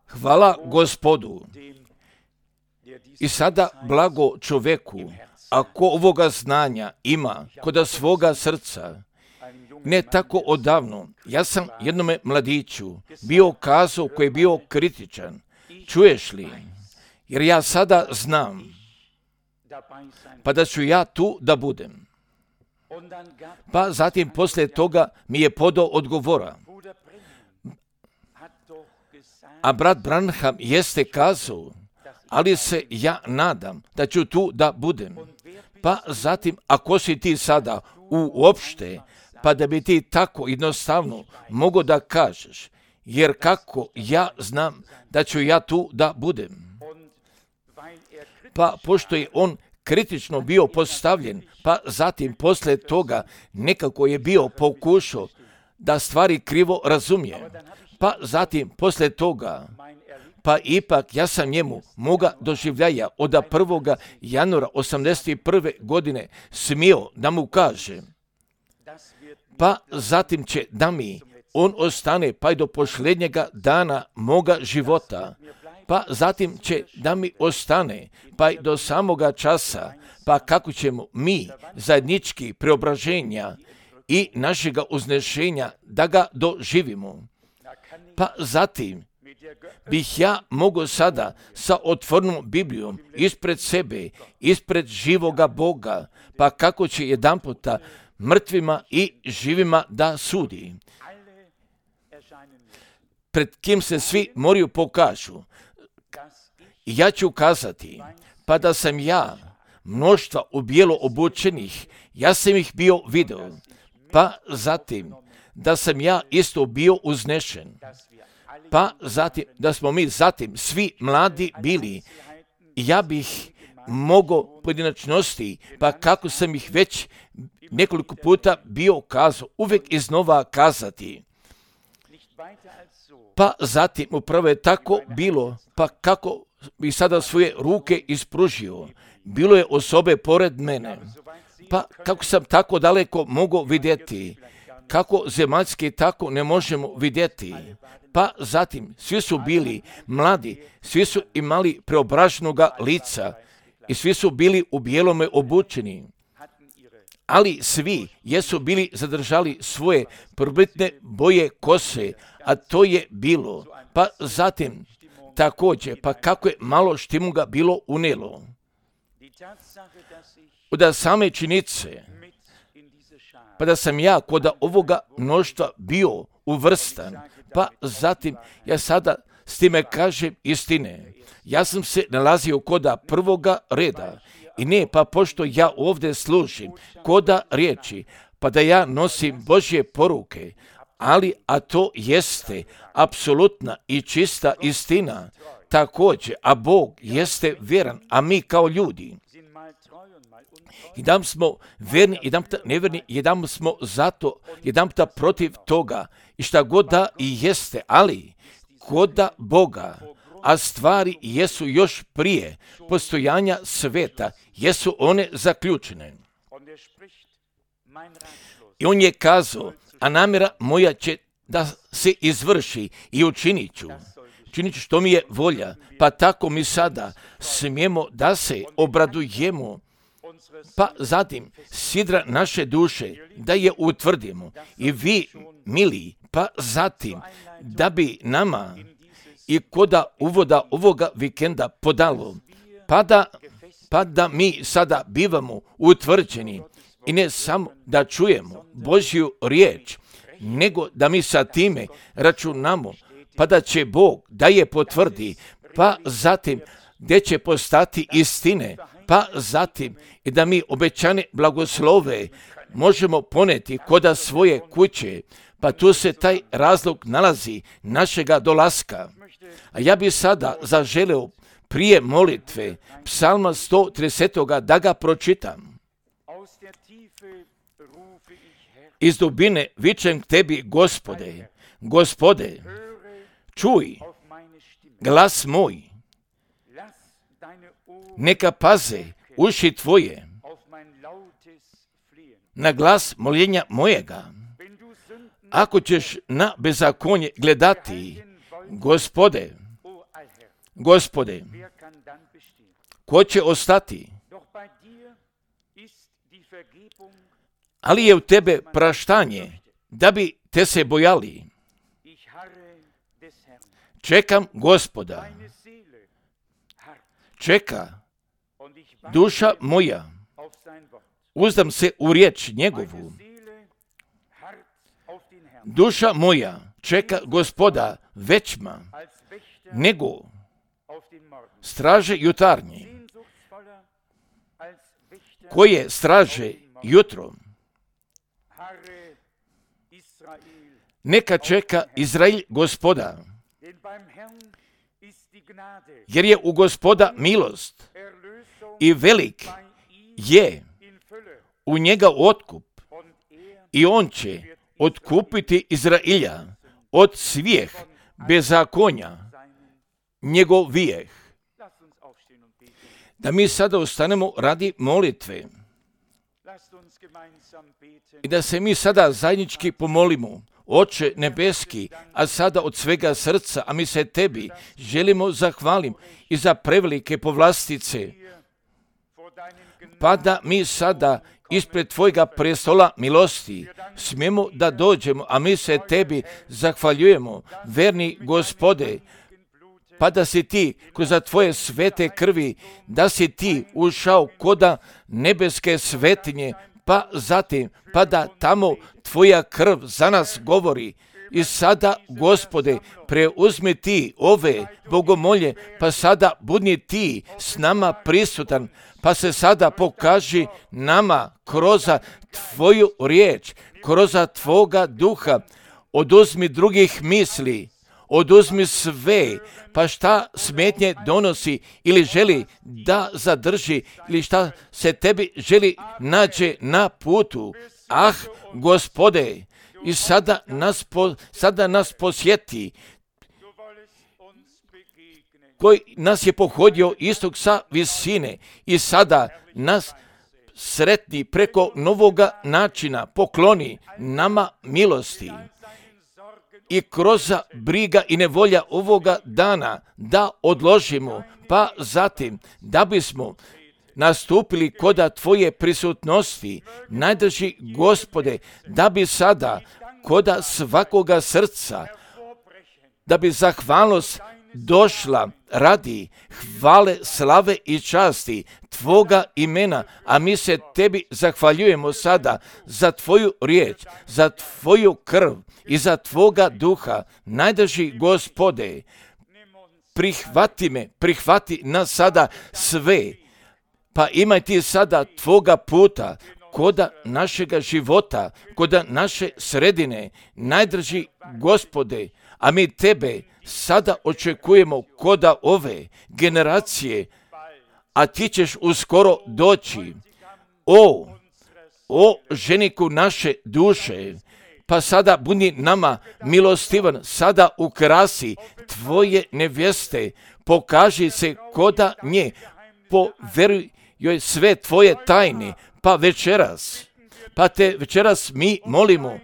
Hvala Gospodu. I sada blago čoveku, ako ovoga znanja ima kod svoga srca. Ne tako odavno, ja sam jednome mladiću bio kazao koji je bio kritičan. Čuješ li? Jer ja sada znam, pa da ću ja tu da budem. Pa zatim poslije toga mi je podao odgovora. A brat Branham jeste kazao, ali se ja nadam da ću tu da budem. Pa zatim, ako si ti sada uopšte, pa da bi ti tako jednostavno mogao da kažeš, jer kako ja znam da ću ja tu da budem. Pa pošto je on kritično bio postavljen, pa zatim poslije toga nekako je bio pokušao da stvari krivo razumije. Pa zatim poslije toga, pa ipak ja sam njemu moga doživljaja od 1. januara 1981. godine smio da mu kaže, pa zatim će da mi on ostane pa i do posljednjega dana moga života, pa zatim će da mi ostane pa i do samoga časa, pa kako ćemo mi zajednički preobraženja i našega uznešenja da ga doživimo. Pa zatim bih ja mogao sada sa otvorenom Biblijom ispred sebe, ispred živoga Boga, pa kako će jedanputa mrtvima i živima da sudi. Pred kim se svi moraju pokažu. Ja ću kazati, pa da sam ja mnoštva u bijelo obučenih, ja sam ih bio video, pa zatim da sam ja isto bio uznešen, pa zatim da smo mi zatim svi mladi bili, ja bih mogao pojedinačnosti, pa kako sam ih već nekoliko puta bio kazao, uvijek iznova kazati. Pa zatim upravo je tako bilo, pa kako bi sada svoje ruke ispružio. Bilo je osobe pored mene, pa kako sam tako daleko mogao vidjeti, kako zemaljski tako ne možemo vidjeti. Pa zatim svi su bili mladi, svi su imali preobraženoga lica i svi su bili u bijelome obučeni. Ali svi jesu bili zadržali svoje prvobitne boje kose, a to je bilo. Pa zatim također, pa kako je malo štimuga bilo unijelo. Od same činjenice, pa da sam ja kod ovoga mnoštva bio uvrstan, pa zatim ja sada s time kažem istine. Ja sam se nalazio kod prvoga reda i ne, pa pošto ja ovdje služim koda riječi, pa da ja nosim Božje poruke, ali a to jeste apsolutna i čista istina također, a Bog jeste vjeran, a mi kao ljudi jedan smo verni, jedan neverni, jedan smo zato, jedan protiv toga i šta god da i jeste, ali koda Boga, a stvari jesu još prije postojanja sveta, jesu one zaključene. I on je kazao, a namjera moja će da se izvrši i učinit ću što mi je volja, pa tako mi sada smijemo da se obradujemo, pa zatim sidra naše duše da je utvrdimo i vi, mili, pa zatim da bi nama i koda uvoda ovoga vikenda podalo, pa da mi sada bivamo utvrđeni i ne samo da čujemo Božju riječ, nego da mi sa time računamo, pa da će Bog da je potvrdi, pa zatim gdje će postati istine, pa zatim i da mi obećane blagoslove možemo poneti koda svoje kuće, pa tu se taj razlog nalazi našega dolaska. A ja bi sada zaželeo prije molitve psalma 130. da ga pročitam. Iz dubine vičem k tebi, Gospode, Gospode, čuj glas moj, neka paze uši tvoje na glas moljenja mojega. ako ćeš na bezakonje gledati, Gospode, ko će ostati? Ali je u tebe praštanje, da bi te se bojali. Čekam Gospoda. Čeka duša moja. Uzdam se u riječ njegovu. Duša moja čeka Gospoda većma nego straže jutarnje, koje straže jutro. Neka čeka Izrael Gospoda, jer je u Gospoda milost i velik je u njega otkup, i on će otkupiti Izrailja od svih bezakonja njegovih. Da mi sada ostanemo radi molitve i da se mi sada zajednički pomolimo. Oče nebeski, a sada od svega srca, a mi se tebi želimo zahvalim i za prevelike povlastice, pa da mi sada ispred tvojega prestola milosti smijemo da dođemo, a mi se tebi zahvaljujemo, verni Gospode, pa da si ti kroz tvoje svete krvi, da si ti ušao koda nebeske svetinje, pa zatim, pa da tamo tvoja krv za nas govori. I sada, Gospode, preuzmi ti ove bogomolje, pa sada budni ti s nama prisutan, pa se sada pokaži nama kroz tvoju riječ, kroz tvoga duha. Oduzmi drugih misli, oduzmi sve, pa šta smetnje donosi ili želi da zadrži ili šta se tebi želi nađe na putu. Ah, Gospode, i sada nas posjeti, koji nas je pohodio istog sa visine, i sada nas sretni preko novoga načina, pokloni nama milosti i kroz briga i nevolja ovoga dana da odložimo, pa zatim da bismo nastupili koda tvoje prisutnosti, najdrži Gospode, da bi sada koda svakoga srca, da bi zahvalnost došla radi hvale, slave i časti tvoga imena, a mi se tebi zahvaljujemo sada za tvoju riječ, za tvoju krv i za tvoga duha. Najdrži Gospode, prihvati nas sada sve, pa imaj ti sada tvoga puta koda našega života, koda naše sredine. Najdrži Gospode, a mi tebe sada očekujemo koda ove generacije, a ti ćeš uskoro doći. O ženiku naše duše, pa sada budi nama milostivan, sada ukrasi tvoje nevjeste, pokaži se koda nje, povjeruj joj sve tvoje tajne, pa te večeras mi molimo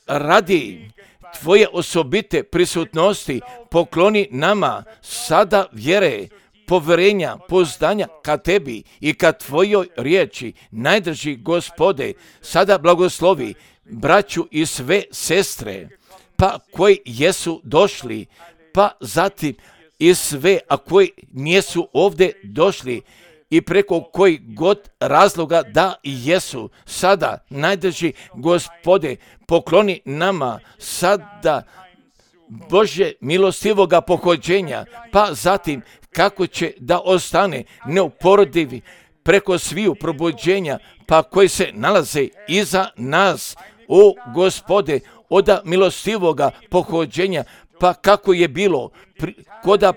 radi tvoje osobite prisutnosti, pokloni nama sada vjere, povjerenja, pouzdanja ka tebi i ka tvojoj riječi. Najdrži Gospode, sada blagoslovi braću i sve sestre, pa koji jesu došli, pa zatim i sve, a koji nisu ovdje došli, i preko koji god razloga da jesu, sada najdrži Gospode, pokloni nama sada Božje milostivoga pohođenja, pa zatim kako će da ostane neuporedivi preko sviju probuđenja, pa koji se nalaze iza nas, o Gospode, oda milostivoga pohođenja, pa kako je bilo koda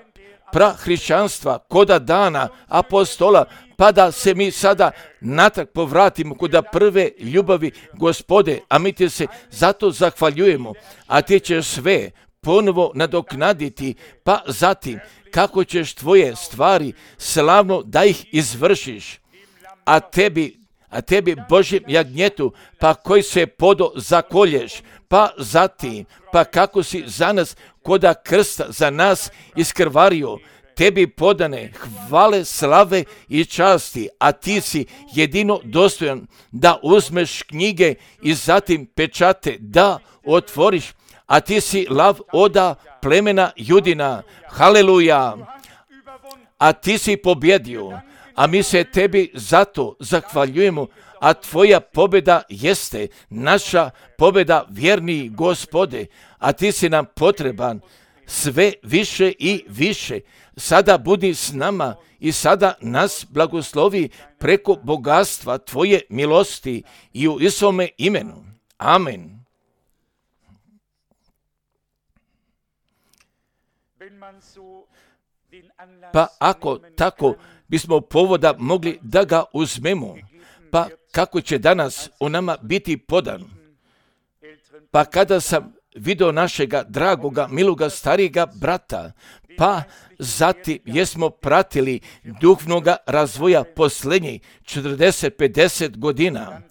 prahrišćanstva, koda dana apostola, pa da se mi sada natrag povratimo koda prve ljubavi, Gospode, a mi ti se zato zahvaljujemo, a ti ćeš sve ponovo nadoknaditi, pa zatim kako ćeš tvoje stvari slavno da ih izvršiš, a tebi Božjem jagnjetu, pa koji se podo zakolješ, pa zatim, pa kako si za nas koda krsta za nas iskrvario, tebi podane hvale, slave i časti, a ti si jedino dostojan da uzmeš knjige i zatim pečate da otvoriš, a ti si lav oda plemena Judina. Haleluja! A ti si pobjedio, a mi se tebi zato zahvaljujemo, a tvoja pobjeda jeste naša pobjeda, vjerni Gospode, a ti si nam potreban sve više i više. Sada budi s nama i sada nas blagoslovi preko bogatstva tvoje milosti i u Isovome imenu. Amen. Pa ako tako bismo povoda mogli da ga uzmemo, pa kako će danas u nama biti podan? Pa kada sam vidio našega dragoga, miloga, starijega brata, pa zatim jesmo pratili duhovnoga razvoja posljednjih 40-50 godina,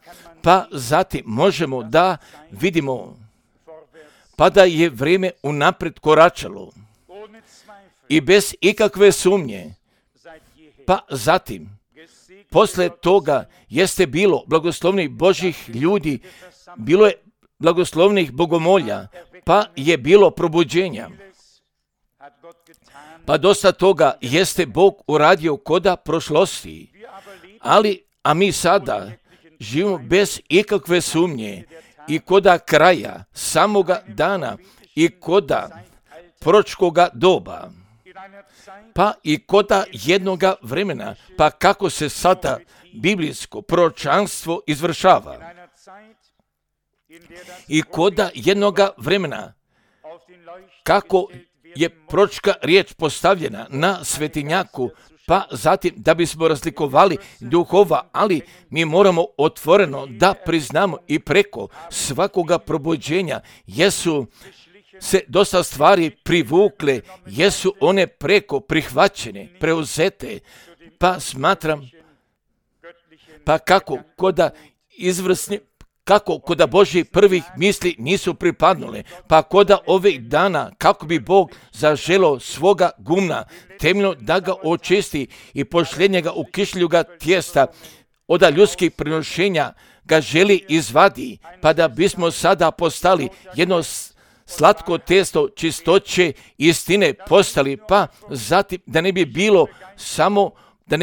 pa zatim možemo da vidimo pa da je vrijeme unaprijed koračalo i bez ikakve sumnje. Pa zatim, posle toga jeste bilo blagoslovnih Božih ljudi, bilo je blagoslovnih bogomolja, pa je bilo probuđenja. Pa dosta toga jeste Bog uradio koda prošlosti, a mi sada živimo bez ikakve sumnje i koda kraja samoga dana i koda proročkoga doba, pa i koda jednoga vremena, pa kako se sada biblijsko proročanstvo izvršava. I koda jednoga vremena, kako je proročka riječ postavljena na svetinjaku, pa zatim da bismo razlikovali duhova, ali mi moramo otvoreno da priznamo i preko svakoga probuđenja jesu se dosta stvari privukle, jesu one preko prihvaćene, preuzete, pa smatram, pa kako koda Božji prvih misli nisu pripadnule, pa koda ovih dana, kako bi Bog zaželo svoga gumna temeljno da ga očisti i pošljenje ga u kišljuga tijesta od ljudskih prinošenja ga želi izvadi, pa da bismo sada postali jedno slatko testo čistoće istine postali, pa zatim da ne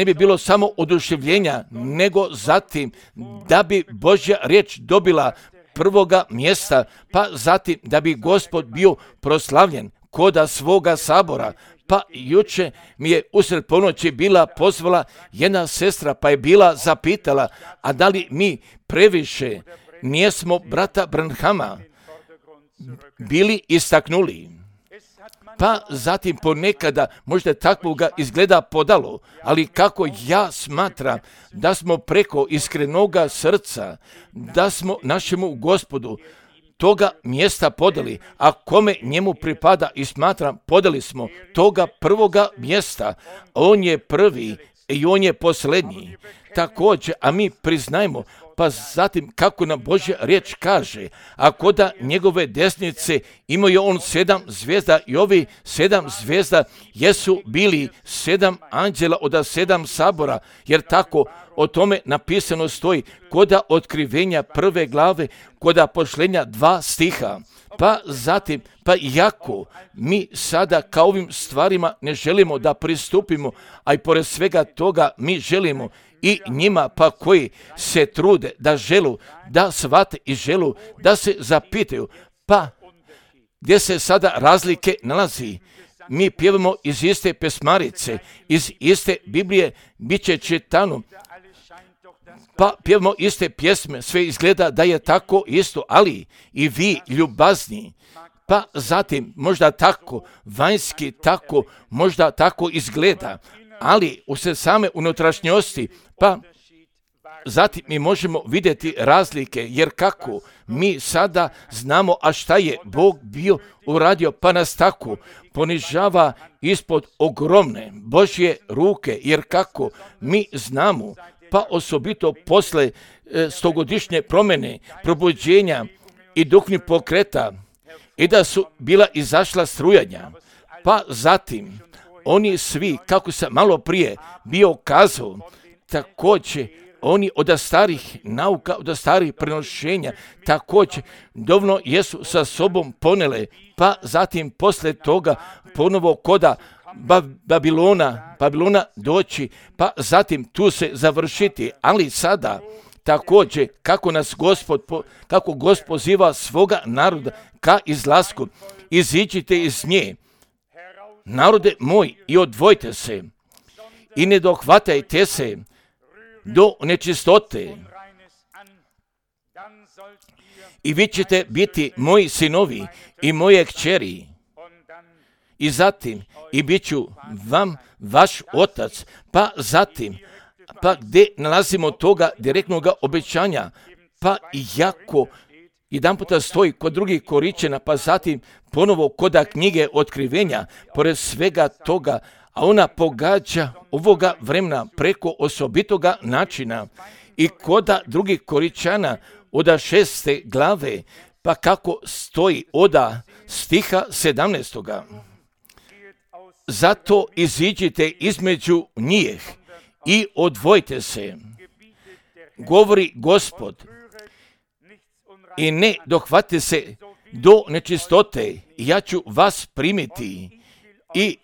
bi bilo samo oduševljenja, nego zatim da bi Božja riječ dobila prvoga mjesta, pa zatim da bi Gospod bio proslavljen koda svoga sabora. Pa juče mi je usred ponoći bila pozvala jedna sestra, pa je bila zapitala, a da li mi previše nijesmo brata Branhama bili istaknuli. Pa zatim ponekada možda takvoga izgleda podalo, ali kako ja smatram da smo preko iskrenoga srca, da smo našemu Gospodu toga mjesta podali, a kome njemu pripada i smatram podali smo toga prvoga mjesta. On je prvi i on je posljednji. Također, a mi priznajmo, pa zatim kako nam Božja riječ kaže, a koda njegove desnice imaju on 7 zvijezda i ovi 7 zvijezda jesu bili 7 anđela od 7 sabora, jer tako o tome napisano stoji koda otkrivenja 1. glave, koda pošlenja 2 stiha. Pa zatim, pa iako mi sada kao ovim stvarima ne želimo da pristupimo, a i pored svega toga mi želimo i njima pa koji se trude da želu, da shvate i želu, da se zapitaju, pa gdje se sada razlike nalazi. Mi pjevamo iz iste pesmarice, iz iste Biblije, bit će čitano, pa pjevamo iste pjesme, sve izgleda da je tako isto, ali i vi ljubazni, pa zatim možda tako vanjski, tako možda tako izgleda, ali u se same unutrašnjosti, pa zatim mi možemo vidjeti razlike, jer kako mi sada znamo, a šta je Bog bio uradio, pa nas tako ponižava ispod ogromne Božje ruke, jer kako mi znamo, pa osobito posle stogodišnje promjene, probuđenja i duhovnih pokreta, i da su bila izašla strujanja, pa zatim oni svi, kako sam malo prije bio kazao, također oni od starih nauka, od starih prenošenja, također dovoljno jesu sa sobom ponele, pa zatim posle toga ponovo koda Babilona doći, pa zatim tu se završiti, ali sada također kako Gospod poziva svoga naroda ka izlasku, iziđite iz nje, narode moj, i odvojite se i ne dohvatajte se do nečistote, i vi ćete biti moji sinovi i moje kćeri, i zatim i bit ću vam vaš otac. Pa zatim, pa gdje nalazimo toga direktnog obećanja, pa jako jedan puta stoji kod drugih Koričana, pa zatim ponovo koda knjige Otkrivenja, pored svega toga, a ona pogađa ovoga vremena preko osobitoga načina, i koda drugih Koričana od 6. glave, pa kako stoji od stiha 17. Zato iziđite između njih i odvojite se, govori Gospod, i ne dohvatite se do nečistote, ja ću vas primiti i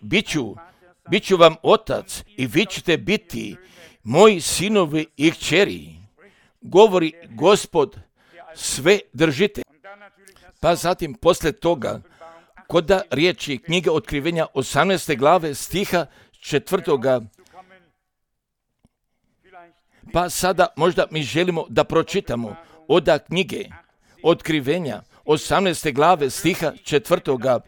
bit ću vam otac, i vi ćete biti moji sinovi i kćeri, govori Gospod sve držite. Pa zatim posle toga, koda riječi knjige Otkrivenja 18. glave stiha 4. Pa sada možda mi želimo da pročitamo od knjige Otkrivenja 18. glave stiha 4.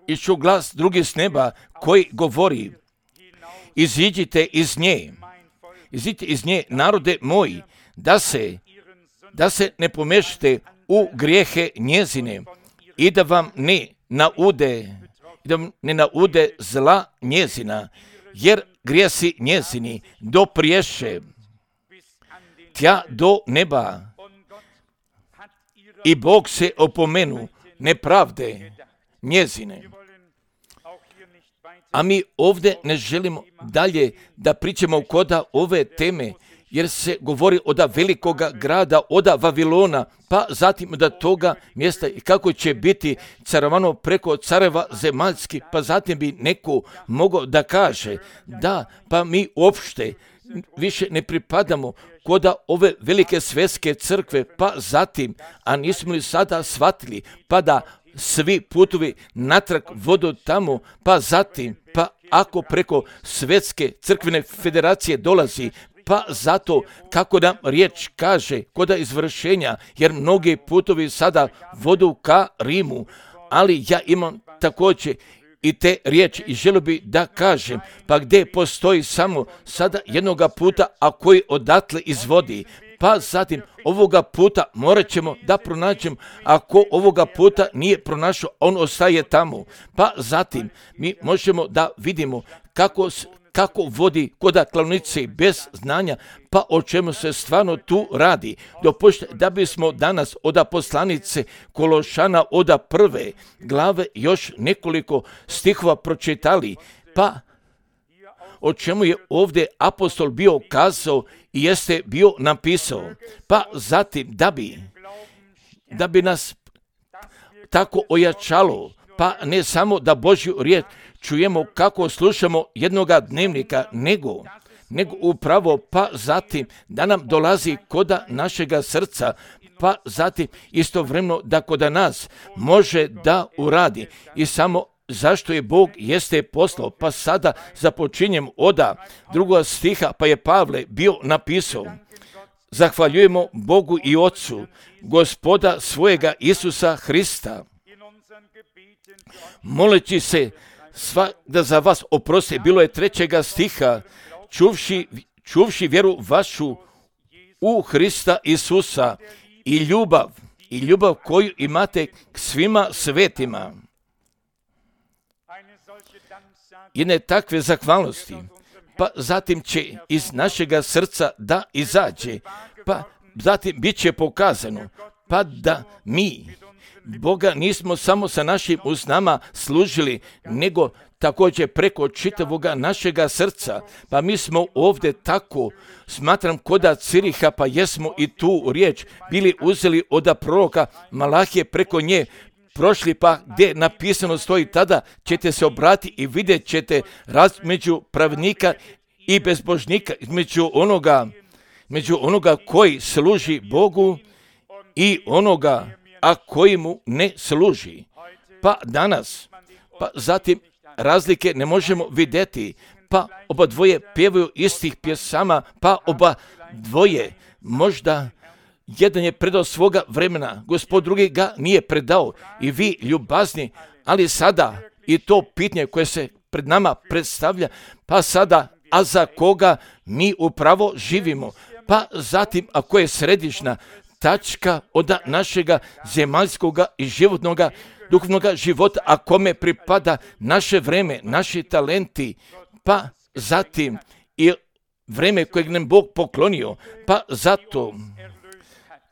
I čuh glas drugi s neba koji govori, iziđite iz nje, narode moji, da se ne pomešate u grijehe njezine, i da vam ne naude zla njezina, jer grijesi njezini dopriješe tja do neba, i Bog se opomenu nepravde njezine. A mi ovdje ne želimo dalje da pričamo koda ove teme, jer se govori od velikoga grada, od Vavilona, pa zatim od toga mjesta i kako će biti carovano preko careva zemaljski, pa zatim bi neko mogao da kaže, da, pa mi uopšte više ne pripadamo koda ove velike svjetske crkve, pa zatim, a nismo li sada shvatili, pa da svi putovi natrag vodu tamo, pa zatim, pa ako preko svjetske crkvene federacije dolazi, pa zato kako nam riječ kaže koda izvršenja, jer mnogi putovi sada vodu ka Rimu, ali ja imam također i te riječi i želio bi da kažem, pa gdje postoji samo sada jednoga puta, a koji odatle izvodi, pa zatim ovoga puta morat ćemo da pronađemo, ako ovoga puta nije pronašao, on ostaje tamo, pa zatim mi možemo da vidimo kako vodi koda klavnice bez znanja, pa o čemu se stvarno tu radi. Dopustite da bismo danas od poslanice Kološana od 1. glave još nekoliko stihova pročitali, pa o čemu je ovdje apostol bio kazao i jeste bio napisao, pa zatim da bi nas tako ojačalo, pa ne samo da Božju riječ čujemo kako slušamo jednoga dnevnika, nego upravo, pa zatim da nam dolazi koda našega srca, pa zatim istovremeno da koda nas može da uradi. I samo zašto je Bog jeste poslao, pa sada započinjem od 2. stiha, pa je Pavle bio napisao, zahvaljujemo Bogu i Otcu, Gospoda svojega Isusa Hrista, moleći se da za vas oprosti, bilo je 3. stiha, čuvši vjeru vašu u Hrista Isusa i ljubav koju imate k svima svetima. Jedne takve zahvalnosti, pa zatim će iz našega srca da izađe, pa zatim bit će pokazano, pa da mi Boga nismo samo sa našim usnama služili, nego također preko čitavoga našega srca. Pa mi smo ovdje tako, smatram koda Ciriha, pa jesmo i tu riječ bili uzeli od proroka Malahije, preko nje prošli, pa gdje napisano stoji, tada ćete se obratiti i vidjet ćete među pravednika i bezbožnika, među onoga koji služi Bogu i onoga a koji mu ne služi. Pa danas, pa zatim razlike ne možemo vidjeti, pa oba dvoje pjevaju istih pjesama, pa oba dvoje možda jedan je predao svoga vremena, Gospod drugi ga nije predao i vi ljubazni, ali sada i to pitanje koje se pred nama predstavlja, pa sada, a za koga mi upravo živimo, pa zatim ako je središnja tačka od našega zemaljskoga i životnoga, duhovnoga života, a kome pripada naše vreme, naši talenti, pa zatim i vreme kojeg nam Bog poklonio, pa zato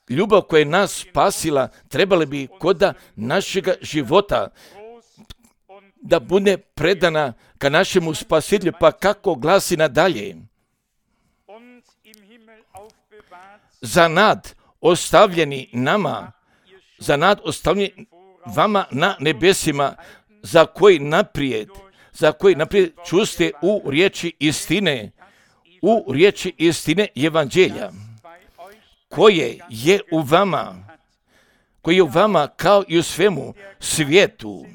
ljubav koja je nas spasila trebala bi koda našega života da bude predana ka našemu spasitelju, pa kako glasi nadalje. Za nad ostavljeni nama, za nad ostavljeni vama na nebesima, za koji naprijed čuste u riječi istine evanđelja, koje je u vama kao i u svemu svijetu,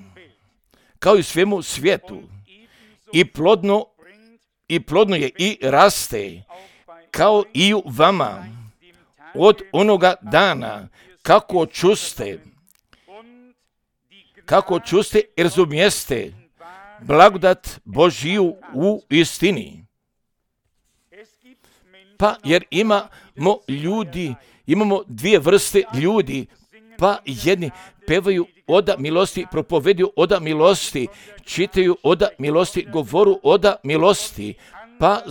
i plodno je i raste, kao i u vama, od onoga dana kako čuste i razumijeste blagodat Božiju u istini. Pa jer imamo dvije vrste ljudi, pa jedni pevaju oda milosti, propoveduju oda milosti, čitaju oda milosti, govoru oda milosti, pa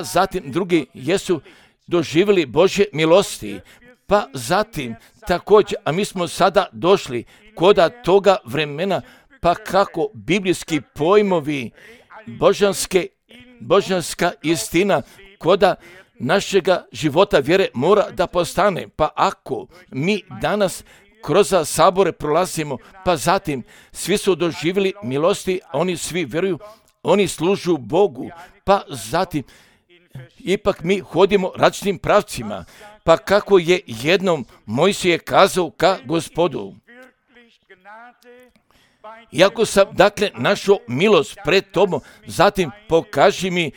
zatim drugi jesu doživjeli Božje milosti, pa zatim također, a mi smo sada došli koda toga vremena, pa kako biblijski pojmovi, božanska istina koda našega života vjere mora da postane, pa ako mi danas kroz sabore prolazimo, pa zatim svi su doživjeli milosti, oni svi vjeruju, oni služu Bogu, pa zatim ipak mi hodimo različitim pravcima, pa kako je jednom Mojsije kazao ka Gospodu, iako sam dakle našao milost pred tobom, zatim pokaži mi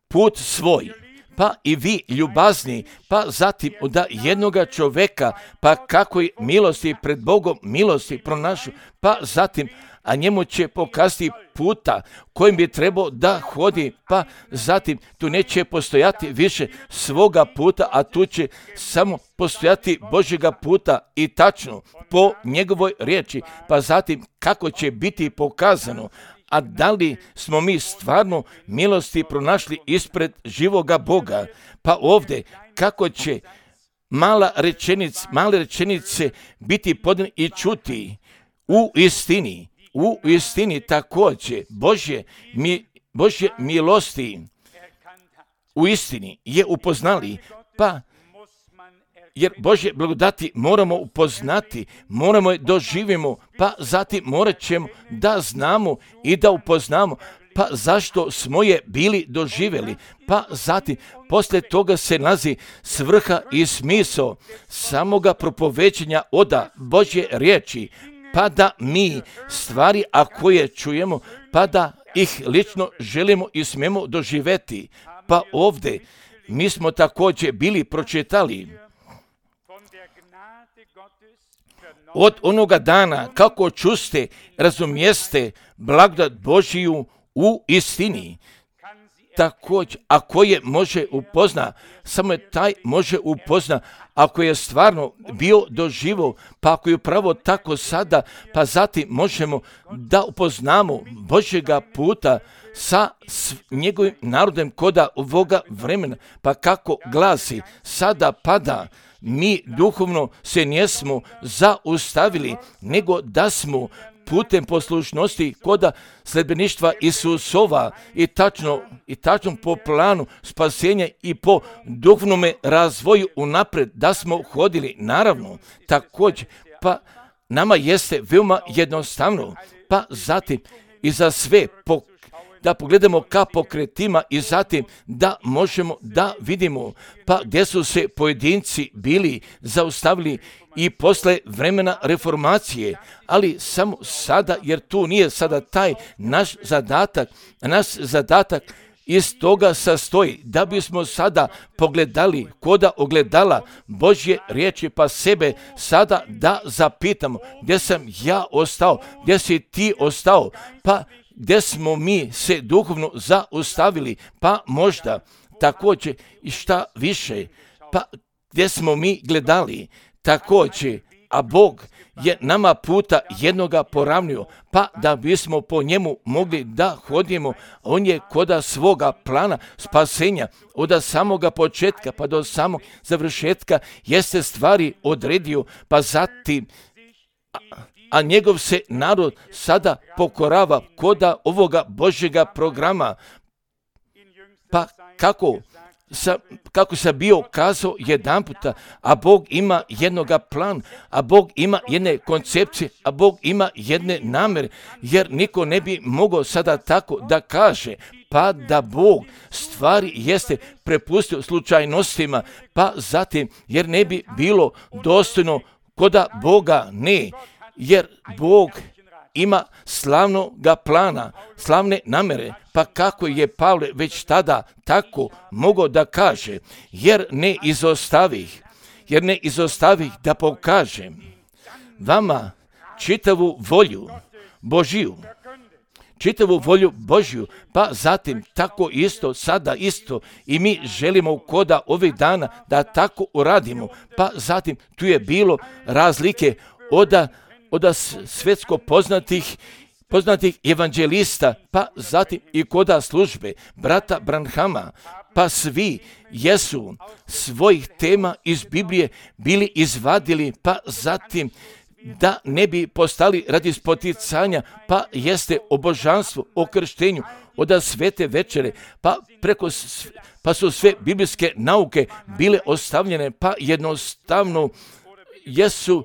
put svoj, pa i vi ljubazni, pa zatim od jednoga čovjeka, pa kako je milosti pred Bogom, milosti pronašu, pa zatim a njemu će pokazati puta kojim bi trebao da hodi, pa zatim tu neće postojati više svoga puta, a tu će samo postojati Božjega puta i tačno po njegovoj riječi, pa zatim kako će biti pokazano, a da li smo mi stvarno milosti pronašli ispred živoga Boga, pa ovdje kako će male rečenice biti podane i čuti u istini također Božje milosti u istini je upoznali, pa jer Božje blagodati moramo upoznati, moramo je doživimo, pa zatim morat ćemo da znamo i da upoznamo, pa zašto smo je bili doživjeli, pa zatim poslije toga se nalazi svrha i smisao samoga propoveđenja oda Božje riječi, pa da mi stvari, a koje čujemo, pa da ih lično želimo i smemo doživjeti. Pa ovdje mi smo također bili pročitali od onoga dana kako čuste, razumijeste blagodat Božiju u istini. Također, ako je može upozna, samo je taj može upozna, ako je stvarno bio doživo, pa ako je upravo tako sada, pa zatim možemo da upoznamo Božjega puta, sa njegovim narodom koda ovoga vremena, pa kako glasi, sada pada, mi duhovno se nismo zaustavili, nego da smo putem poslušnosti koda sledbeništva Isusova i tačno po planu spasenja i po duhovnome razvoju unapred da smo hodili. Naravno, također, pa nama jeste veoma jednostavno, pa zatim i za sve da pogledamo ka pokretima i zatim da možemo da vidimo pa gdje su se pojedinci bili zaustavili i posle vremena reformacije, ali samo sada, jer tu nije sada taj naš zadatak iz toga sastoji da bismo sada pogledali koda ogledala Božje riječi, pa sebe sada da zapitamo gdje sam ja ostao, gdje si ti ostao, pa gdje smo mi se duhovno zaustavili, pa možda također i šta više, pa gdje smo mi gledali također, a Bog je nama puta jednoga poravnio, pa da bismo po njemu mogli da hodimo. On je koda svoga plana spasenja od samoga početka pa do samog završetka jeste stvari odredio, pa zatim a njegov se narod sada pokorava koda ovoga Božjega programa. Pa kako sam bio kazao jedan puta, a Bog ima jednoga plan, a Bog ima jedne koncepcije, a Bog ima jedne namere, jer niko ne bi mogao sada tako da kaže, pa da Bog stvari jeste prepustio slučajnostima, pa zatim, jer ne bi bilo dostojno koda Boga ne, jer Bog ima slavnoga plana, slavne namere, pa kako je Pavle već tada tako mogao da kaže, jer ne izostavih da pokažem vama čitavu volju Božju, pa zatim tako isto, sada isto i mi želimo koda ovih dana da tako uradimo, pa zatim tu je bilo razlike od svjetsko poznatih evanđelista, pa zatim i koda službe brata Branhama, pa svi jesu svojih tema iz Biblije bili izvadili, pa zatim da ne bi postali radi spoticanja, pa jeste o božanstvu, o krštenju, od svete večere, pa su sve biblijske nauke bile ostavljene, pa jednostavno jesu,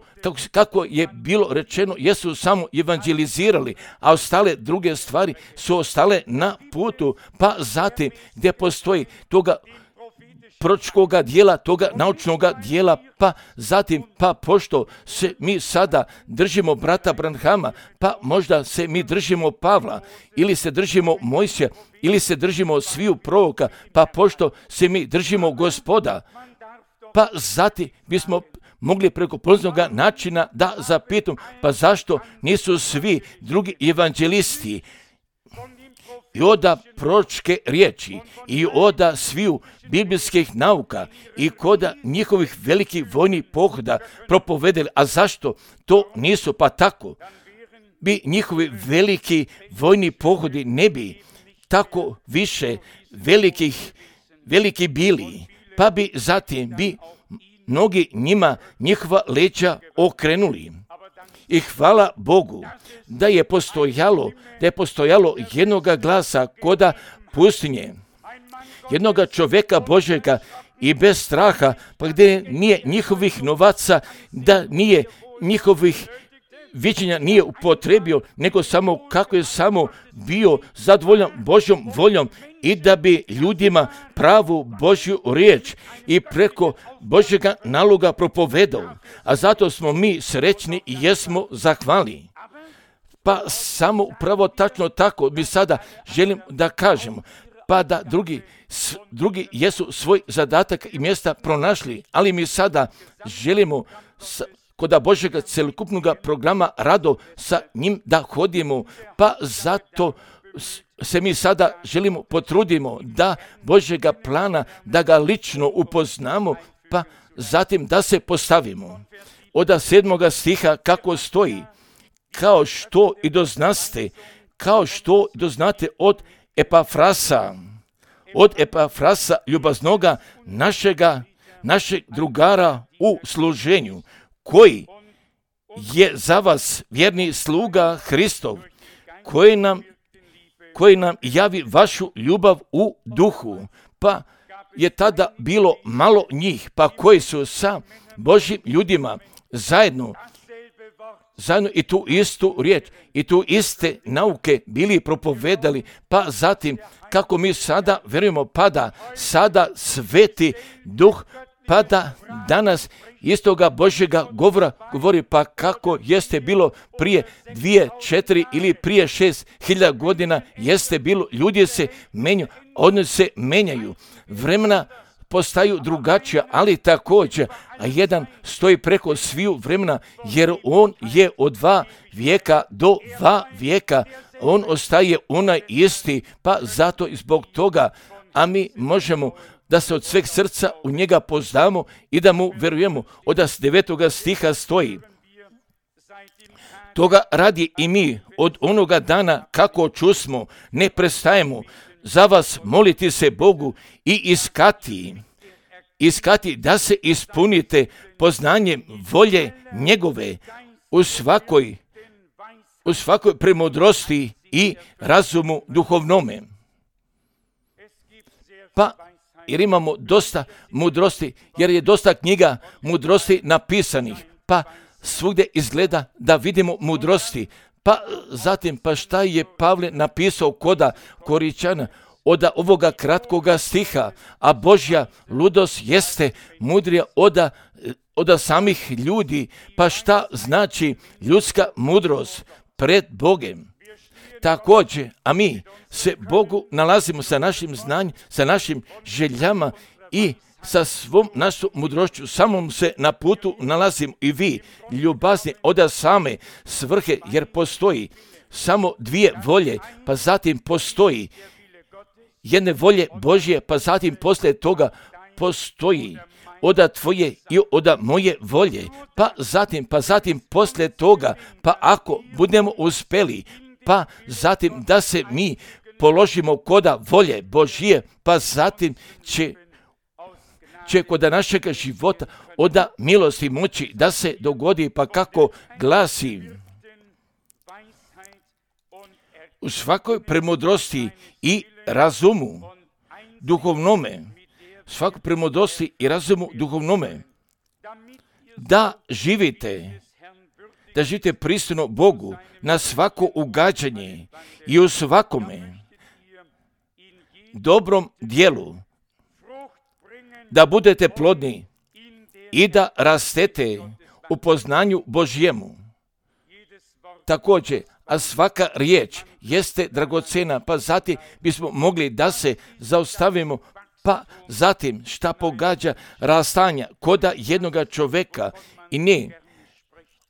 kako je bilo rečeno, jesu samo evanđelizirali, a ostale druge stvari su ostale na putu, pa zatim gdje postoji toga proročkoga dijela, toga naučnoga dijela, pa zatim, pa pošto se mi sada držimo brata Branhama, pa možda se mi držimo Pavla, ili se držimo Mojsija, ili se držimo sviju proroka, pa pošto se mi držimo Gospoda, pa zatim bismo mogli preko poznoga načina da zapitam, pa zašto nisu svi drugi evanđelisti i oda proročke riječi i oda sviju biblijskih nauka i koda njihovih velikih vojnih pohoda propovedeli, a zašto to nisu, pa tako bi njihovi veliki vojni pohodi ne bi tako više veliki bili, pa bi zatim bi mnogi njihova leđa okrenuli. I hvala Bogu da je postojalo jednoga glasa koda pustinje, jednoga čovjeka Božjega i bez straha, pa gdje nije njihovih novaca, da nije njihovih viđenja nije upotrebio, nego samo kako je samo bio zadovoljan Božjom voljom i da bi ljudima pravu Božju riječ i preko Božjega naloga propovedao. A zato smo mi srećni i jesmo zahvali. Pa samo upravo tačno tako mi sada želim da kažemo, pa da drugi jesu svoj zadatak i mjesta pronašli, ali mi sada želimo kod Božjega celokupnog programa rado sa njim da hodimo, pa zato se mi sada želimo potrudimo da Božjega plana, da ga lično upoznamo, pa zatim da se postavimo. Od 7. stiha kako stoji, kao što i doznate od Epafrasa ljubaznoga našeg drugara u služenju, koji je za vas vjerni sluga Hristov, koji nam javi vašu ljubav u duhu, pa je tada bilo malo njih, pa koji su sa Božjim ljudima zajedno i tu istu riječ i tu iste nauke bili propovedali, pa zatim kako mi sada verujemo, pada sada Sveti Duh, pada danas istoga Božjega govora govori, pa kako jeste bilo prije 2, 4 ili prije 6.000 godina jeste bilo, ljudi se menjaju, oni se menjaju, vremena postaju drugačija, ali također, a jedan stoji preko sviju vremena, jer on je od 2 vijeka do 2 vijeka, on ostaje onaj isti, pa zato i zbog toga, a mi možemo da se od sveg srca u njega poznamo i da mu verujemo. Od 9. stiha stoji: toga radi i mi od onoga dana kako čusmo, ne prestajemo za vas moliti se Bogu i iskati da se ispunite poznanjem volje njegove u svakoj premudrosti i razumu duhovnome. Pa jer imamo dosta mudrosti, jer je dosta knjiga mudrosti napisanih, pa svugdje izgleda da vidimo mudrosti. Pa zatim, pa šta je Pavle napisao koda Koričana od ovoga kratkoga stiha, a Božja ludost jeste mudrija od samih ljudi, pa šta znači ljudska mudrost pred Bogem? Također, a mi se Bogu nalazimo sa našim znanjem, sa našim željama i sa svom našom mudrošću, samom se na putu nalazimo i vi, ljubazni od same svrhe, jer postoji samo 2 volje, pa zatim postoji jedne volje Božje, pa zatim poslije toga postoji od tvoje i od moje volje, pa zatim poslije toga, pa ako budemo uspjeli, pa zatim da se mi položimo koda volje Božje, pa zatim će kod našeg života od milosti moći da se dogodi, pa kako glasi: u svakoj premudrosti i razumu duhovnome, svakoj premudrosti i razumu duhovnome, da živite pristojno Bogu na svako ugađanje i u svakome dobrom dijelu, da budete plodni i da rastete u poznanju Božjemu. Također, a svaka riječ jeste dragocjena, pa zatim bismo mogli da se zaustavimo, pa zatim šta pogađa rastanja koda jednoga čovjeka i ne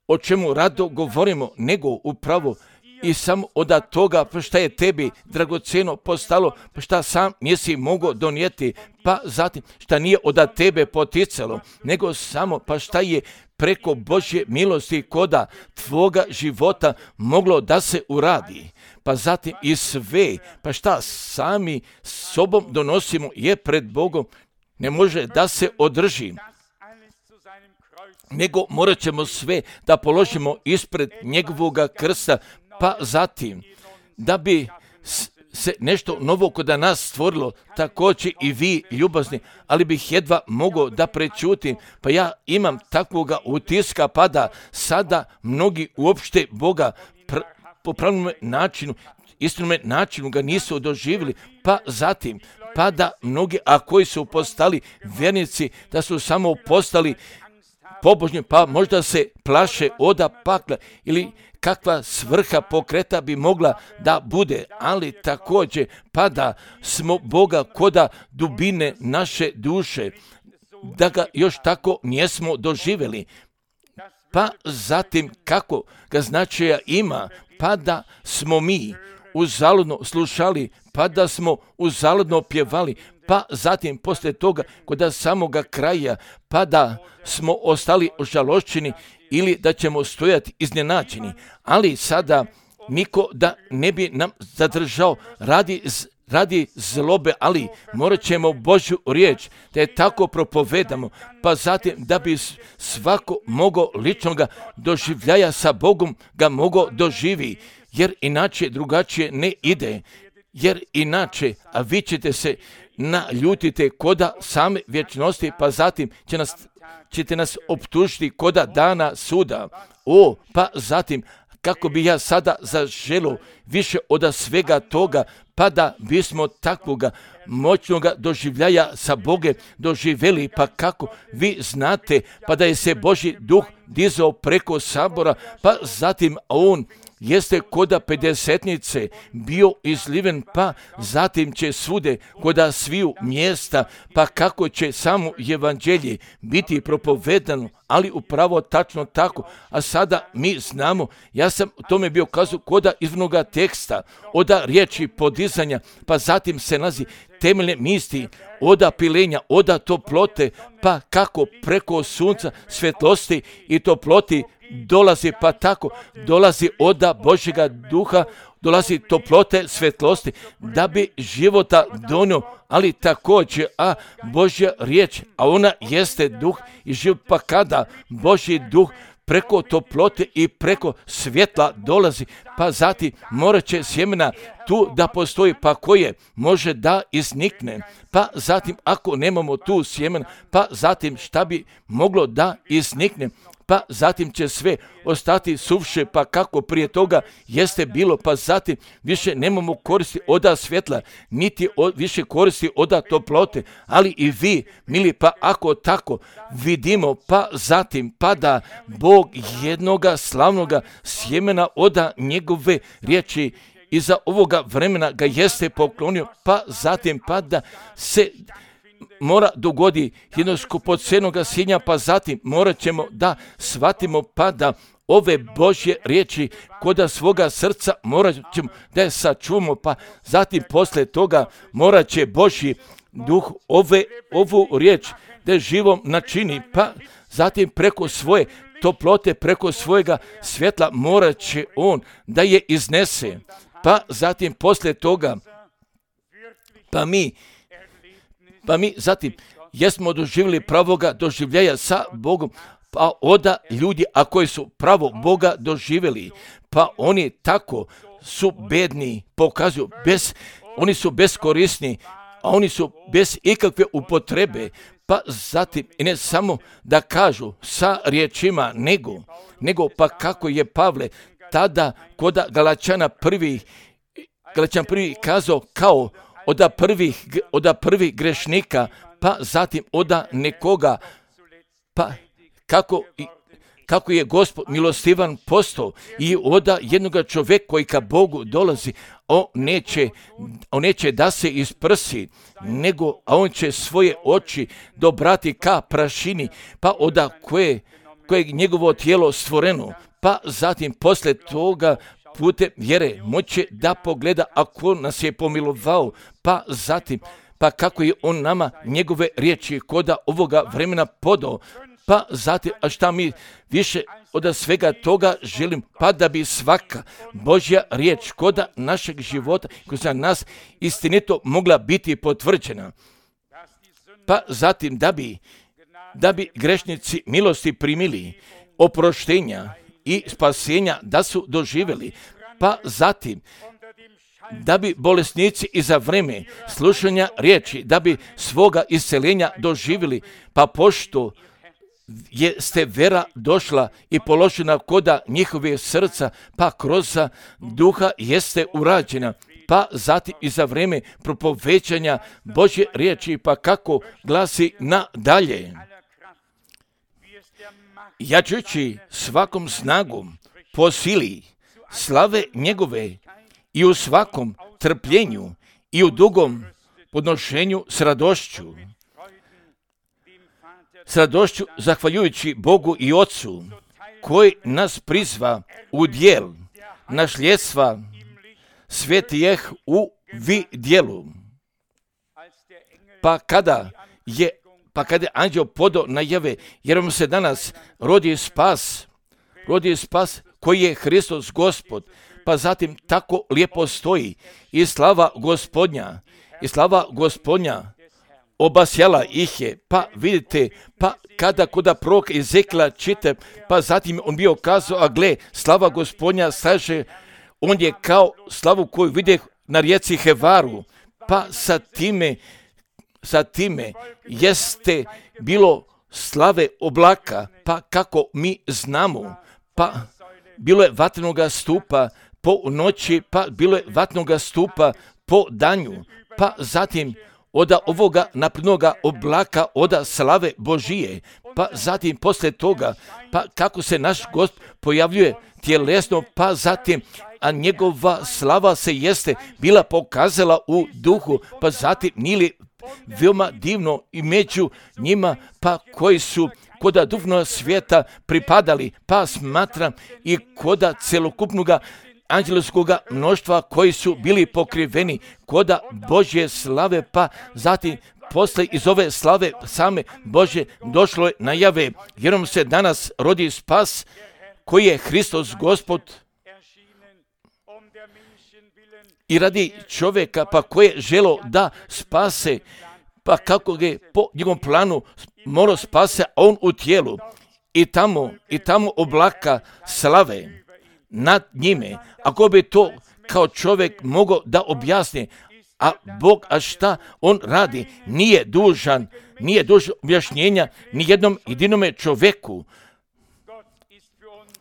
o čemu rado govorimo, nego upravo i samo od toga pa šta je tebi dragocjeno postalo, pa šta sam nisi mogao donijeti, pa zatim šta nije od tebe poticalo, nego samo pa šta je preko Božje milosti koda tvoga života moglo da se uradi. Pa zatim i sve, pa šta sami sobom donosimo je pred Bogom, ne može da se održi, nego morat ćemo sve da položimo ispred njegovoga krsta, pa zatim da bi se nešto novo kod nas stvorilo, također i vi ljubazni, ali bih jedva mogao da prečutim, pa ja imam takvoga utiska, pa da sada mnogi uopšte Boga po pravilnom načinu, istinome načinu ga nisu doživjeli, pa zatim, pa da mnogi, a koji su postali vjernici, da su samo postali pobožni, pa možda se plaše od pakla ili kakva svrha pokreta bi mogla da bude, ali također pa da smo Boga koda dubine naše duše, da ga još tako nismo doživjeli, pa zatim kako ga značaja ima, pa da smo mi uzaludno slušali, pa da smo uzaludno pjevali, pa zatim poslije toga kod samoga kraja, pa da smo ostali ožalošćeni ili da ćemo stojati iznenađeni. Ali sada niko da ne bi nam zadržao radi radi zlobe, ali morat ćemo Božju riječ da je tako propovedamo, pa zatim da bi svako mogao ličnoga doživljaja sa Bogom ga mogao doživi, jer inače drugačije ne ide, jer inače, a vi ćete se naljutite koda same vječnosti, pa zatim ćete nas optužiti koda dana suda. Pa zatim, kako bi ja sada zaželio više od svega toga, pa da bismo takvoga moćnoga doživljaja sa Boge doživjeli, pa kako vi znate, pa da je se Božji duh dizao preko sabora, pa zatim on jeste koda pedesetnice bio izliven, pa zatim će svude koda sviju mjesta, pa kako će samo evanđelje biti propovedano, ali upravo tačno tako. A sada mi znamo, ja sam o tome bio kazao koda izvornoga teksta, oda riječi podizanja, pa zatim se nalazi temeljne misli, oda pilenja, oda toplote, pa kako preko sunca svetlosti i toploti dolazi, pa tako dolazi oda Božjega duha, dolazi toplote svetlosti, da bi života donio, ali također, Božja riječ, a ona jeste duh i život, pa kada Božji duh preko toplote i preko svjetla dolazi, pa zatim morat će sjemena tu da postoji, pa koje može da iznikne, pa zatim ako nemamo tu sjemena, pa zatim šta bi moglo da iznikne, pa zatim će sve ostati suviše, pa kako prije toga jeste bilo, pa zatim više nemamo koristi oda svjetla, niti više koristi oda toplote, ali i vi, mili, pa ako tako vidimo, pa zatim pada Bog jednoga slavnoga sjemena oda njegove riječi iza ovoga vremena ga jeste poklonio, pa zatim pada se mora dogodi jednog skupocjenoga sjenja, pa zatim morat ćemo da shvatimo, pa da ove Božje riječi koda svoga srca morat ćemo da je sačuvamo, pa zatim posle toga morat će Božji duh ovu riječ da je živom načini, pa zatim preko svoje toplote, preko svojega svjetla morat će on da je iznese, pa zatim posle toga pa mi zatim jesmo doživjeli pravoga doživljaja sa Bogom, pa oda ljudi, a koji su pravo Boga doživjeli, pa oni tako su bedni, pokazuju, oni su beskorisni, a oni su bez ikakve upotrebe, pa zatim i ne samo da kažu sa riječima, nego pa kako je Pavle tada koda Galačana prvi kazao kao oda prvih grešnika, pa zatim oda nekoga, pa kako je Gospod milostivan postao i oda jednoga čovjeka koji ka Bogu dolazi, on neće da se isprsi, a on će svoje oči dobrati ka prašini, pa oda koje njegovo tijelo stvoreno, pa zatim posle toga putem vjere moće da pogleda ako nas je pomilovao, pa zatim, pa kako je on nama njegove riječi koda ovoga vremena podao, pa zatim, a šta mi više od svega toga želim, pa da bi svaka Božja riječ koda našeg života, koja za nas istinito mogla biti potvrđena, pa zatim da bi grešnici milosti primili, oproštenja i spasenja da su doživjeli, pa zatim da bi bolesnici i za vreme slušanja riječi, da bi svoga isceljenja doživjeli, pa pošto jeste vera došla i položena koda njihove srca, pa kroz duha jeste urađena, pa zatim i za vreme propovećanja Božje riječi, pa kako glasi nadalje. Jačući svakom snagom po sili slave njegove i u svakom trpljenju i u dugom podnošenju s radošću zahvaljujući Bogu i Otcu koji nas prizva u djel nasljedstva svetijeh u vidjelu. Pa kada je anđeo podao najave, jer vam se danas rodi spas koji je Hristos Gospod, pa zatim tako lijepo stoji i slava Gospodnja obasjala ih je, pa vidite, pa kada koda proroka Ezekila čita, pa zatim on bio kazao, a gle, slava Gospodnja staže, on je kao slavu koju vide na rijeci Hevaru, pa sa time jeste bilo slave oblaka, pa kako mi znamo, pa bilo je vatrenoga stupa po noći, pa bilo je vatrenoga stupa po danju, pa zatim oda ovoga naprednoga oblaka, oda slave Božije, pa zatim poslije toga, pa kako se naš Gospod pojavljuje tjelesno, pa zatim, a njegova slava se jeste bila pokazala u duhu, pa zatim nije veoma divno i među njima, pa koji su koda duhovnog svijeta pripadali, pa smatram i koda celokupnoga anđelskoga mnoštva koji su bili pokriveni koda Božje slave, pa zatim posle iz ove slave same Božje došlo je najave, jer nam se danas rodi spas koji je Hristos Gospod i radi čovjeka, pa koje je želo da spase, pa kako ga po njegovom planu mora spase, a on u tijelu i tamo oblaka slave nad njime. Ako bi to kao čovjek mogao da objasni, a Bog, a šta on radi, nije dužan objašnjenja ni jednom jedinome čovjeku,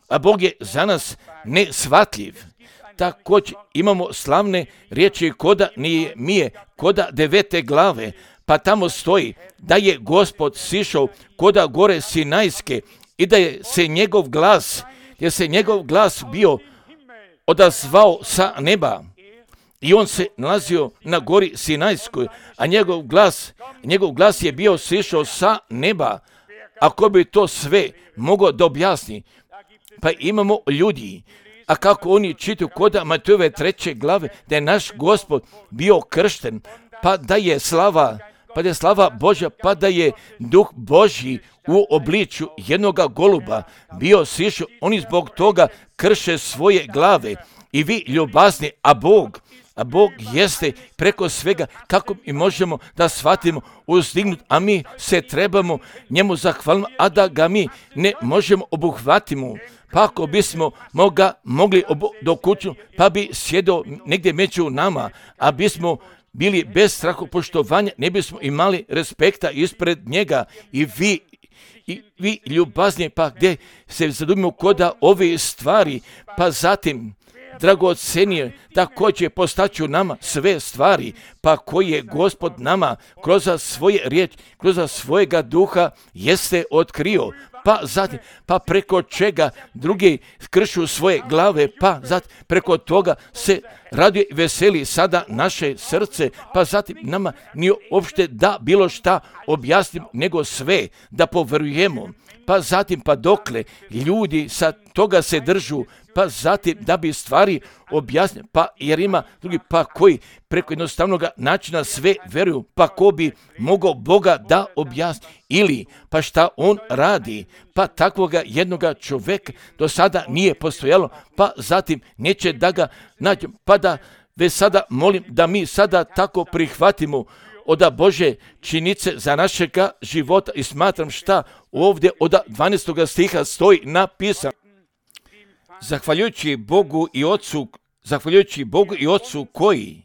a Bog je za nas nesvatljiv. Također imamo slavne riječi koda Nehemije, koda 9. glave, pa tamo stoji da je Gospod sišao koda gore Sinajske i da je se njegov glas bio odazvao sa neba. I on se nalazio na gori Sinajskoj, a njegov glas je bio sišao sa neba. Ako bi to sve mogao da objasni, pa imamo ljudi, a kako oni čitaju koda Matejove 3. glave, da je naš Gospod bio kršten, pa da je slava Božja, pa da je Duh Božji u obličju jednoga goluba bio sišao, oni zbog toga krše svoje glave. I vi ljubazni, a Bog jeste preko svega, kako mi možemo da shvatimo uzdignut, a mi se trebamo njemu zahvaliti, a da ga mi ne možemo obuhvatiti. Pa ako bismo mogli dokuću, pa bi sjedio negdje među nama, a bismo bili bez strahopoštovanja, ne bismo imali respekta ispred njega. I vi ljubazni, pa gdje se zadumimo koda ove stvari, pa zatim dragocenije, također postaću nama sve stvari, pa koje je Gospod nama kroz svoje riječi, kroz svojega duha jeste otkrio, pa zatim, pa preko čega drugi kršu svoje glave, pa zatim preko toga se raduje i veseli sada naše srce, pa zatim nama nije uopšte da bilo šta objasnimo, nego sve da poverujemo, pa zatim pa dokle ljudi sa toga se držu, pa zatim da bi stvari objasnili, pa jer ima drugi pa koji preko jednostavnog načina sve veruju, pa ko bi mogao Boga da objasni ili pa šta on radi, pa takvoga jednoga čovjeka do sada nije postojalo, pa zatim neće da ga nađem, pa da već sada molim da mi sada tako prihvatimo od Bože činice za našega života i smatram šta ovdje od 12. stiha stoji napisano. Zahvaljujući Bogu i Otcu koji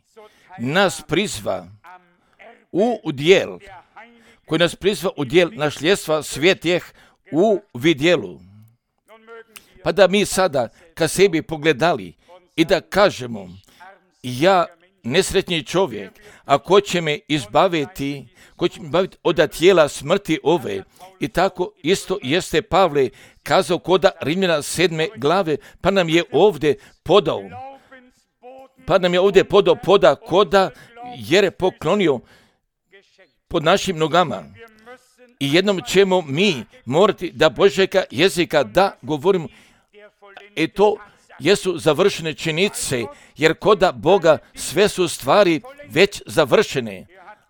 nas prizva u udjel, našljedstva svjetih u vidjelu. Pa da mi sada ka sebi pogledali i da kažemo, ja nesretni čovjek, a ko će me izbaviti od tijela smrti ove. I tako isto jeste Pavle kazao koda Rimljana 7. glave, pa nam je ovdje podao poda koda jer je poklonio pod našim nogama. I jednom ćemo mi morati da Božjega jezika da govorimo. I to jesu završene činjenice, jer koda Boga sve su stvari već završene.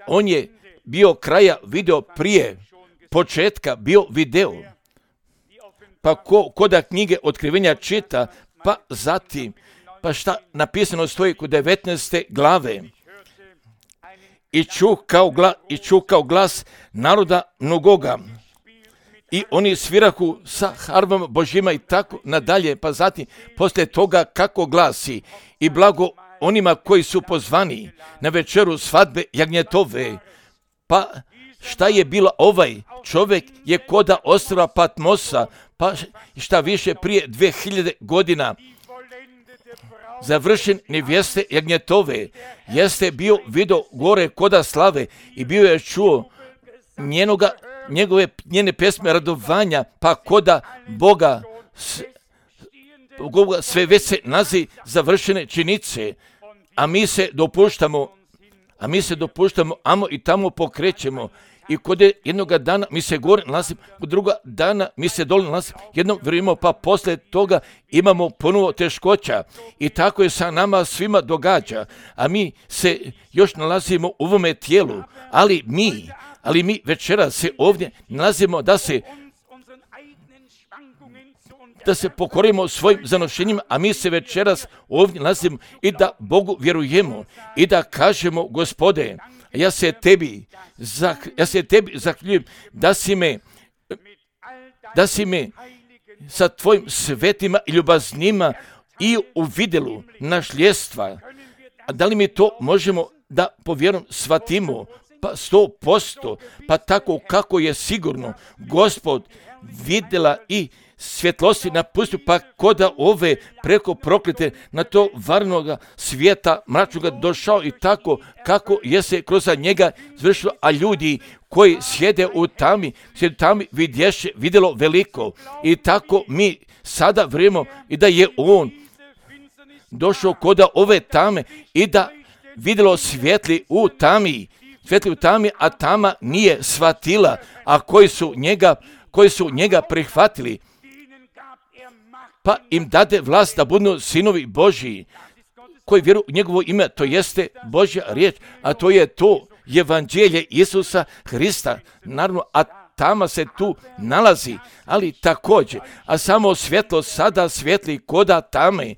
On je bio kraja video prije početka, bio video. Pa koda knjige Otkrivenja čita, pa zatim Pa šta napisano stoji kod 19. glave? I čukao glas naroda mnogoga. I oni svirahu sa harfama Božjima i tako nadalje. Pa zatim, poslije toga kako glasi: i blago onima koji su pozvani na večeru svadbe jagnjetove. Pa šta je bilo ovaj čovjek je koda ostrva Patmosa, pa šta više prije 2000 godina završen nevjeste jagnjetove, jeste bio vidio gore koda slave i bio je čuo njene pesme radovanja, pa koda Boga sve već se nazi završene činice, a mi se dopuštamo, amo i tamo pokrećemo. I kod jednoga dana mi se gore nalazimo, kod druga dana mi se dole nalazimo, jednom vrijeme, pa poslije toga imamo ponovo teškoća. I tako je sa nama svima događa, a mi se još nalazimo u ovome tijelu, ali mi večera se ovdje nalazimo da se pokorimo svojim zanošenjima, a mi se večeras ovdje nalazimo i da Bogu vjerujemo i da kažemo: Gospode, ja se tebi zahvaljujem da si me sa tvojim svetima i ljubaznima i u vidjelu našljestva. A da li mi to možemo da po vjerom shvatimo? Pa 100%, pa tako kako je sigurno Gospod vidjela i svjetlosti napustio, pa koda ove preko proklete na to varnoga svijeta mračnoga došao i tako kako je se kroz njega zvršilo, a ljudi koji sjede u tami vidjelo veliko. I tako mi sada vrijemo i da je on došao koda ove tame i da vidjelo svjetli u tami, a tama nije shvatila, a koji su njega prihvatili, pa im dade vlast da budu sinovi Božji, koji vjeruju u njegovo ime, to jeste Božja riječ, a to je to evanđelje Isusa Hrista, naravno, a tama se tu nalazi, ali također, a samo svjetlo sada svijetli koda tame,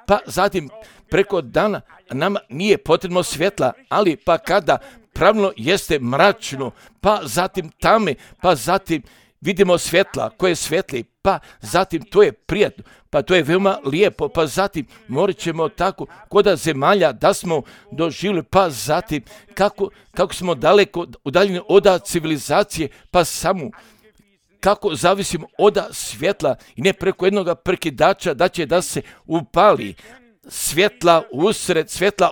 pa zatim preko dana nama nije potrebno svjetla, ali pa kada pravilno jeste mračno, pa zatim tame, pa zatim vidimo svjetla koje svijetli, pa zatim to je prijatno, pa to je veoma lijepo, pa zatim morat ćemo tako koda zemalja da smo doživjeli, pa zatim kako smo daleko udaljeni od civilizacije, pa samo kako zavisimo od svjetla i ne preko jednog prekidača da će da se upali svjetla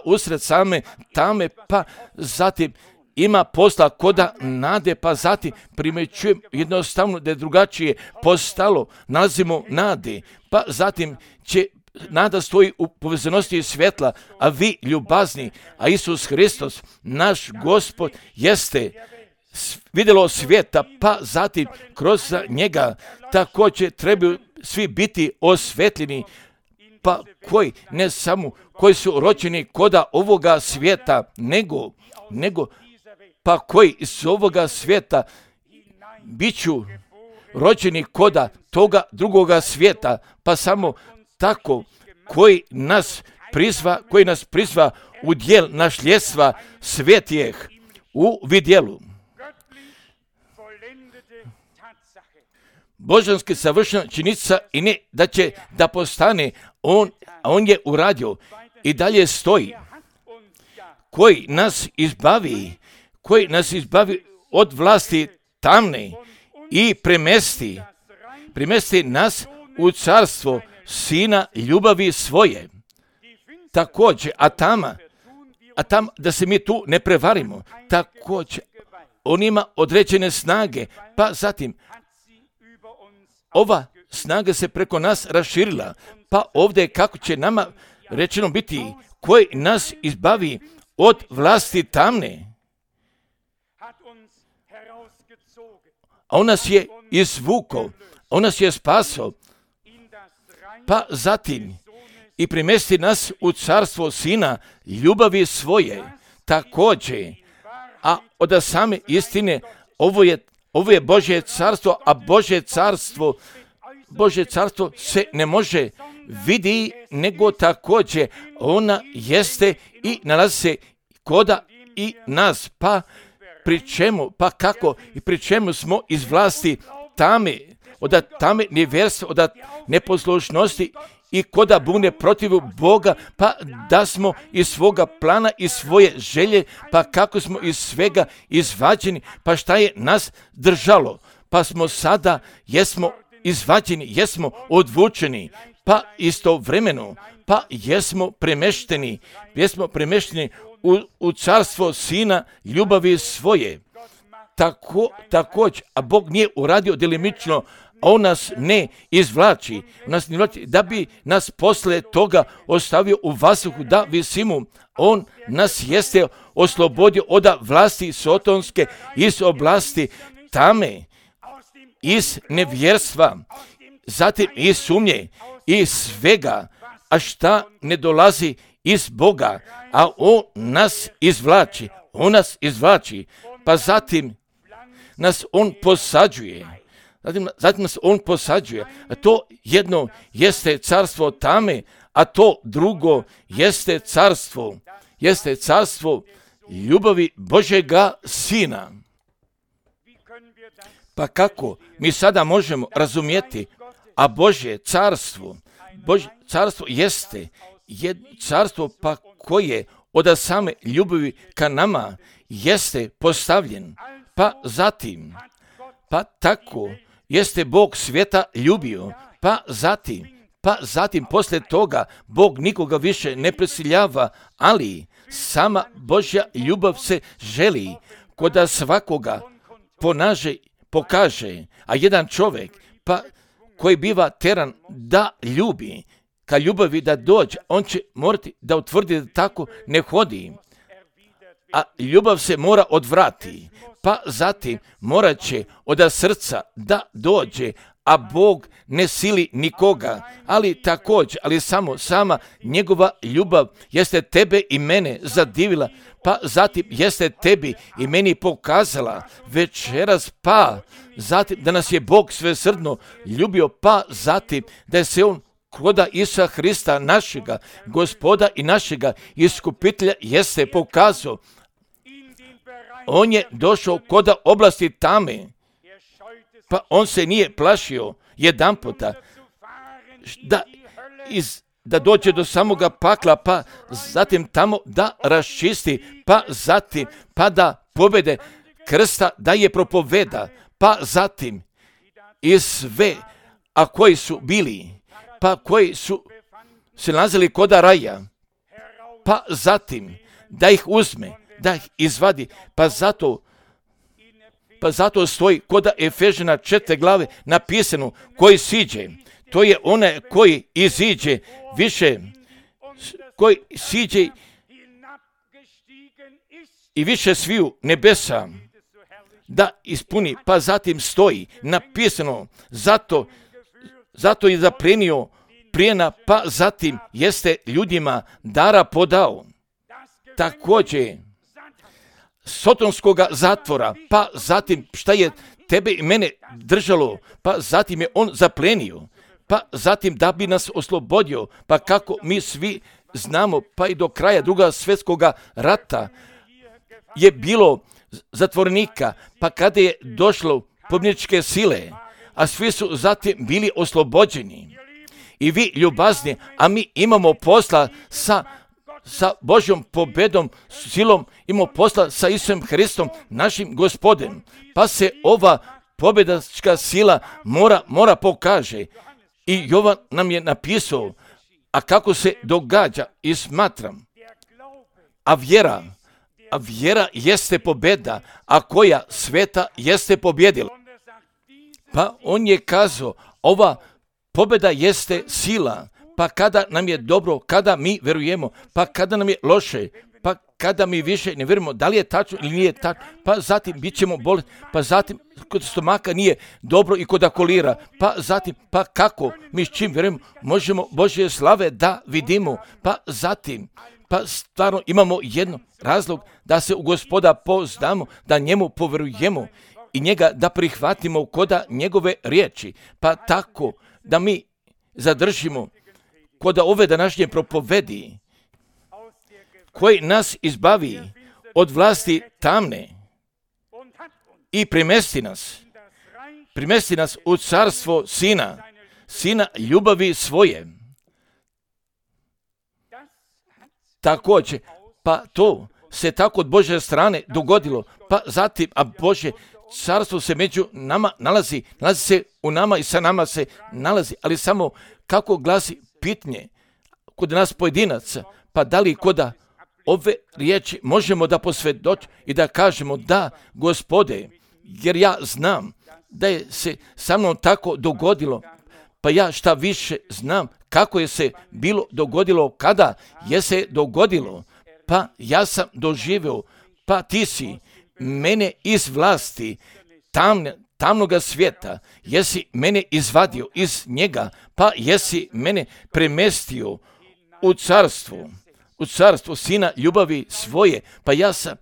usred same tame, pa zatim ima posla koda nade, pa zatim primećujem jednostavno da je drugačije postalo, nalazimo nade, pa zatim će nada stoji u povezanosti svjetla, a vi ljubazni, a Isus Hristos, naš Gospod, jeste vidjelo svijeta, pa zatim kroz njega također trebaju svi biti osvetljeni, pa ne samo koji su rođeni koda ovoga svijeta, nego pa koji iz ovoga svijeta biću rođeni koda toga drugoga svijeta, pa samo tako koji nas prizva u djel našljestva svetijeh u vidjelu. Božanski savršena činjenica i ne da će da postane, on je uradio i dalje stoji, koji nas izbavi od vlasti tamne i premesti nas u carstvo Sina ljubavi svoje. Također, a tama, da se mi tu ne prevarimo, također, on ima određene snage, pa zatim, ova snaga se preko nas raširila, pa ovdje kako će nama rečeno biti, koji nas izbavi od vlasti tamne. A on nas je izvukao, on nas je spasao, pa zatim i primesti nas u carstvo Sina ljubavi svoje. Također, a od same istine, ovo je Božje carstvo, a Božje carstvo se vidi, nego također ona jeste i nalazi se koda i nas, pa pri čemu, pa kako i pri čemu smo iz vlasti tame, od tame nevjerstva, od neposlušnosti i koda bune protiv Boga, pa da smo iz svoga plana i svoje želje, pa kako smo iz svega izvađeni, pa šta je nas držalo, pa smo sada, jesmo izvađeni, jesmo odvučeni, pa istovremeno, pa jesmo premešteni u carstvo Sina ljubavi svoje. Također, a Bog nije uradio delimično, on nas ne izvlači, da bi nas posle toga ostavio u vazduhu da visimo. On nas jeste oslobodio od vlasti sotonske, iz oblasti tame, iz nevjerstva, zatim iz sumnje, iz svega, a šta ne dolazi iz Boga, a on nas izvlači, pa zatim nas on posađuje. Zatim nas on posađuje, a to jedno jeste carstvo tame, a to drugo jeste carstvo ljubavi Božjega Sina. Pa kako mi sada možemo razumjeti, a Božje carstvo jeste carstvo pa koje od same ljubavi ka nama jeste postavljen, pa tako jeste Bog svijeta ljubio, pa zatim poslije toga Bog nikoga više ne prisiljava, ali sama Božja ljubav se želi koda svakoga pokaže, a jedan čovjek pa koji biva teran da ljubi, ka ljubavi da dođe, on će morati da utvrdi da tako ne hodi, a ljubav se mora odvrati, pa zatim morat će od srca da dođe, a Bog ne sili nikoga, ali sama njegova ljubav jeste tebe i mene zadivila, pa zatim jeste tebi i meni pokazala večeras, pa zatim da nas je Bog svesrdno ljubio, pa zatim da je se on koda Isusa Hrista, našega Gospoda i našega Iskupitelja, jeste pokazao. On je došao koda oblasti tame, pa on se nije plašio jedanputa da dođe do samoga pakla, pa zatim tamo da raščisti, pa zatim pa da pobjede krsta, da je propoveda, pa zatim i sve, a koji su bili, pa koji su se nalazili koda raja, pa zatim da ih uzme, da ih izvadi, pa zato stoji koda Efežana 4. glave napisano, koji siđe, to je onaj koji iziđe više, koji siđe i više sviju nebesa da ispuni, pa zatim stoji napisano, zato je zaplenio plijena, pa zatim jeste ljudima dara podao. Također sotonskoga zatvora, pa zatim šta je tebe i mene držalo, pa zatim je on zaplenio, pa zatim da bi nas oslobodio, pa kako mi svi znamo, pa i do kraja Drugog svjetskog rata je bilo zatvornika, pa kada je došlo pobjedničke sile, a svi su zatim bili oslobođeni. I vi ljubazni, a mi imamo posla sa Božjom pobjedom, silom, imamo posla sa Isusom Hristom, našim Gospodem. Pa se ova pobjedačka sila mora pokaže. I Jovan nam je napisao, a kako se događa i smatram. A vjera jeste pobjeda, a koja sveta jeste pobjedila. Pa on je kazao, ova pobjeda jeste sila, pa kada nam je dobro, kada mi verujemo, pa kada nam je loše, pa kada mi više ne vjerujemo da li je tačno ili nije tačno, pa zatim bit ćemo bolesti, pa zatim kod stomaka nije dobro i kod akolira, pa zatim, pa kako mi s čim vjerujemo, možemo Božje slave da vidimo, pa zatim, pa stvarno imamo jedan razlog da se u Gospoda pouzdamo, da njemu poverujemo i njega da prihvatimo koda njegove riječi, pa tako da mi zadržimo kod ove današnje propovedi, koji nas izbavi od vlasti tamne i primesti nas u carstvo Sina ljubavi svoje. Također, pa to se tako od Božje strane dogodilo, pa zatim, a Božje carstvo se među nama nalazi se u nama i sa nama se nalazi, ali samo kako glasi pitanje kod nas pojedinaca, pa da li kod ove riječi možemo da posvjedočimo i da kažemo da, Gospode, jer ja znam da je se sa mnom tako dogodilo, pa ja šta više znam kako je se bilo dogodilo, kada je se dogodilo, pa ja sam doživio, pa ti si mene iz vlasti tamnoga svijeta, jesi mene izvadio iz njega, pa jesi mene premestio u carstvo Sina ljubavi svoje, pa ja sam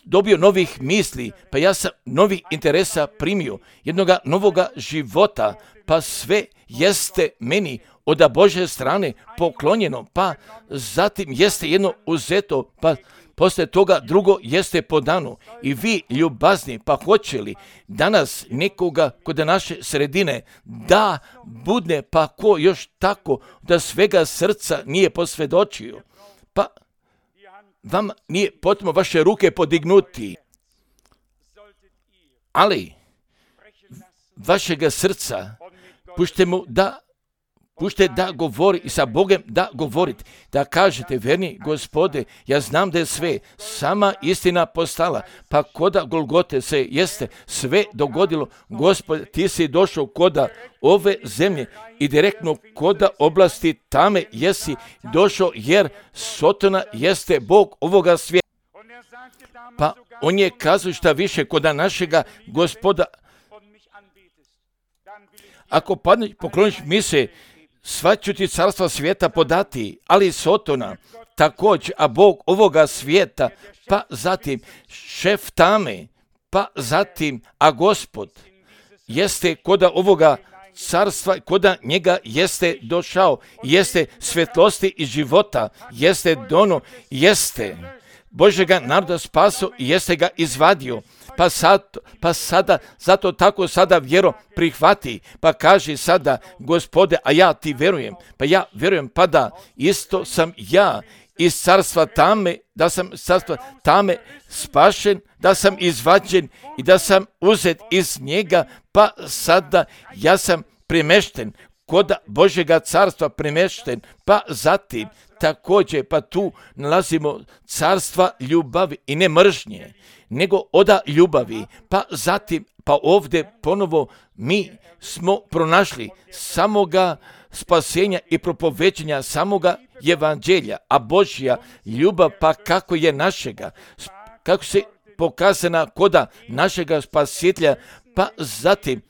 dobio novih misli, pa ja sam novih interesa primio, jednoga novoga života, pa sve jeste meni od Božje strane poklonjeno, pa zatim jeste jedno uzeto, pa poslije toga drugo jeste podano. I vi, ljubazni, pa hoće li danas nekoga kod naše sredine da budne, pa ko još tako da svega srca nije posvjedočio, pa vam nije potrebno vaše ruke podignuti, ali vašega srca pušte da govori i sa Bogom da govorite, da kažete, verni Gospode, ja znam da je sve sama istina postala, pa koda Golgote se jeste sve dogodilo, Gospode, ti si došao koda ove zemlje i direktno koda oblasti tame jesi došao, jer Sotona jeste Bog ovoga svijeta. Pa on je kazao šta više koda našega Gospoda, ako pokloniš mi se, sva ću ti carstva svijeta podati, ali Sotona također, a Bog ovoga svijeta, pa zatim šef tame, pa zatim, a Gospod jeste koda ovoga carstva, koda njega jeste došao, jeste svjetlosti i života, jeste dono, jeste Božjega naroda spaso i jeste ga izvadio. Pa sada, zato tako sada vjero prihvati, pa kaži sada, Gospode, a ja ti verujem, pa ja verujem, pa da isto sam ja iz carstva tame, da sam carstva tame spašen, da sam izvađen i da sam uzet iz njega, pa sada ja sam premešten kod Božjega carstva premešten, pa zatim također, pa tu nalazimo carstva ljubavi i ne mržnje, nego oda ljubavi, pa zatim, pa ovdje ponovo mi smo pronašli samoga spasenja i propoveđenja samoga evanđelja, a Božja ljubav, pa kako je našega, kako se pokazana koda našega spasitelja, pa zatim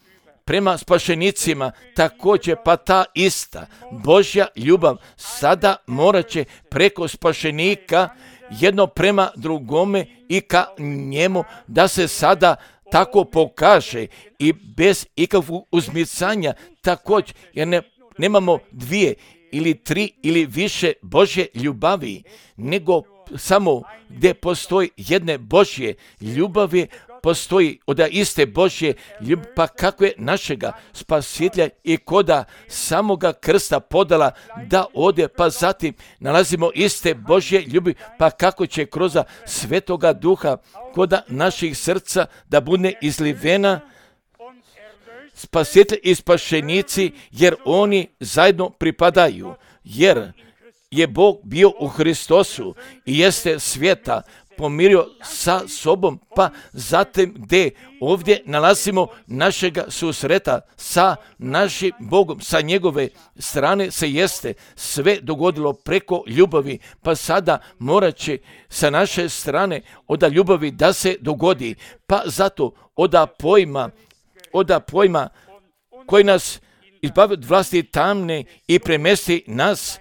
prema spašenicima također, pa ta ista Božja ljubav sada morat će preko spašenika jedno prema drugome i ka njemu da se sada tako pokaže i bez ikakvog uzmicanja također, jer nemamo dvije ili tri ili više Božje ljubavi, nego samo gdje postoji jedne Božje ljubavi, postoji od iste Božje ljubavi, pa kako je našega spasitelja i koda samoga krsta podala da ode, pa zatim nalazimo iste Božje ljubavi, pa kako će kroz Svetoga Duha koda naših srca da bude izlivena spasitelj i spašenici, jer oni zajedno pripadaju, jer je Bog bio u Hristosu i jeste svijeta pomirio sa sobom, pa zatim gdje ovdje nalazimo našega susreta sa našim Bogom, sa njegove strane se jeste sve dogodilo preko ljubavi, pa sada morat će sa naše strane od ljubavi da se dogodi, pa zato od pojma koji nas izbavi od vlasti tamne i premesti nas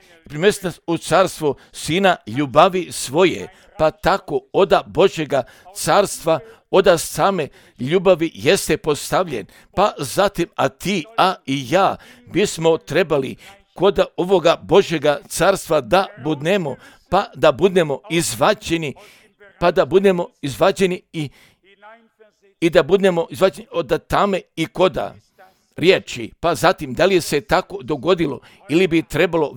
u carstvo Sina ljubavi svoje, pa tako od Božjega carstva, od same ljubavi jeste postavljen, pa zatim a ti, a i ja bismo trebali kod ovoga Božjega carstva da budemo, pa da budemo izvađeni, i da budemo izvađeni od tame i koda riječi. Pa zatim, da li se tako dogodilo ili bi trebalo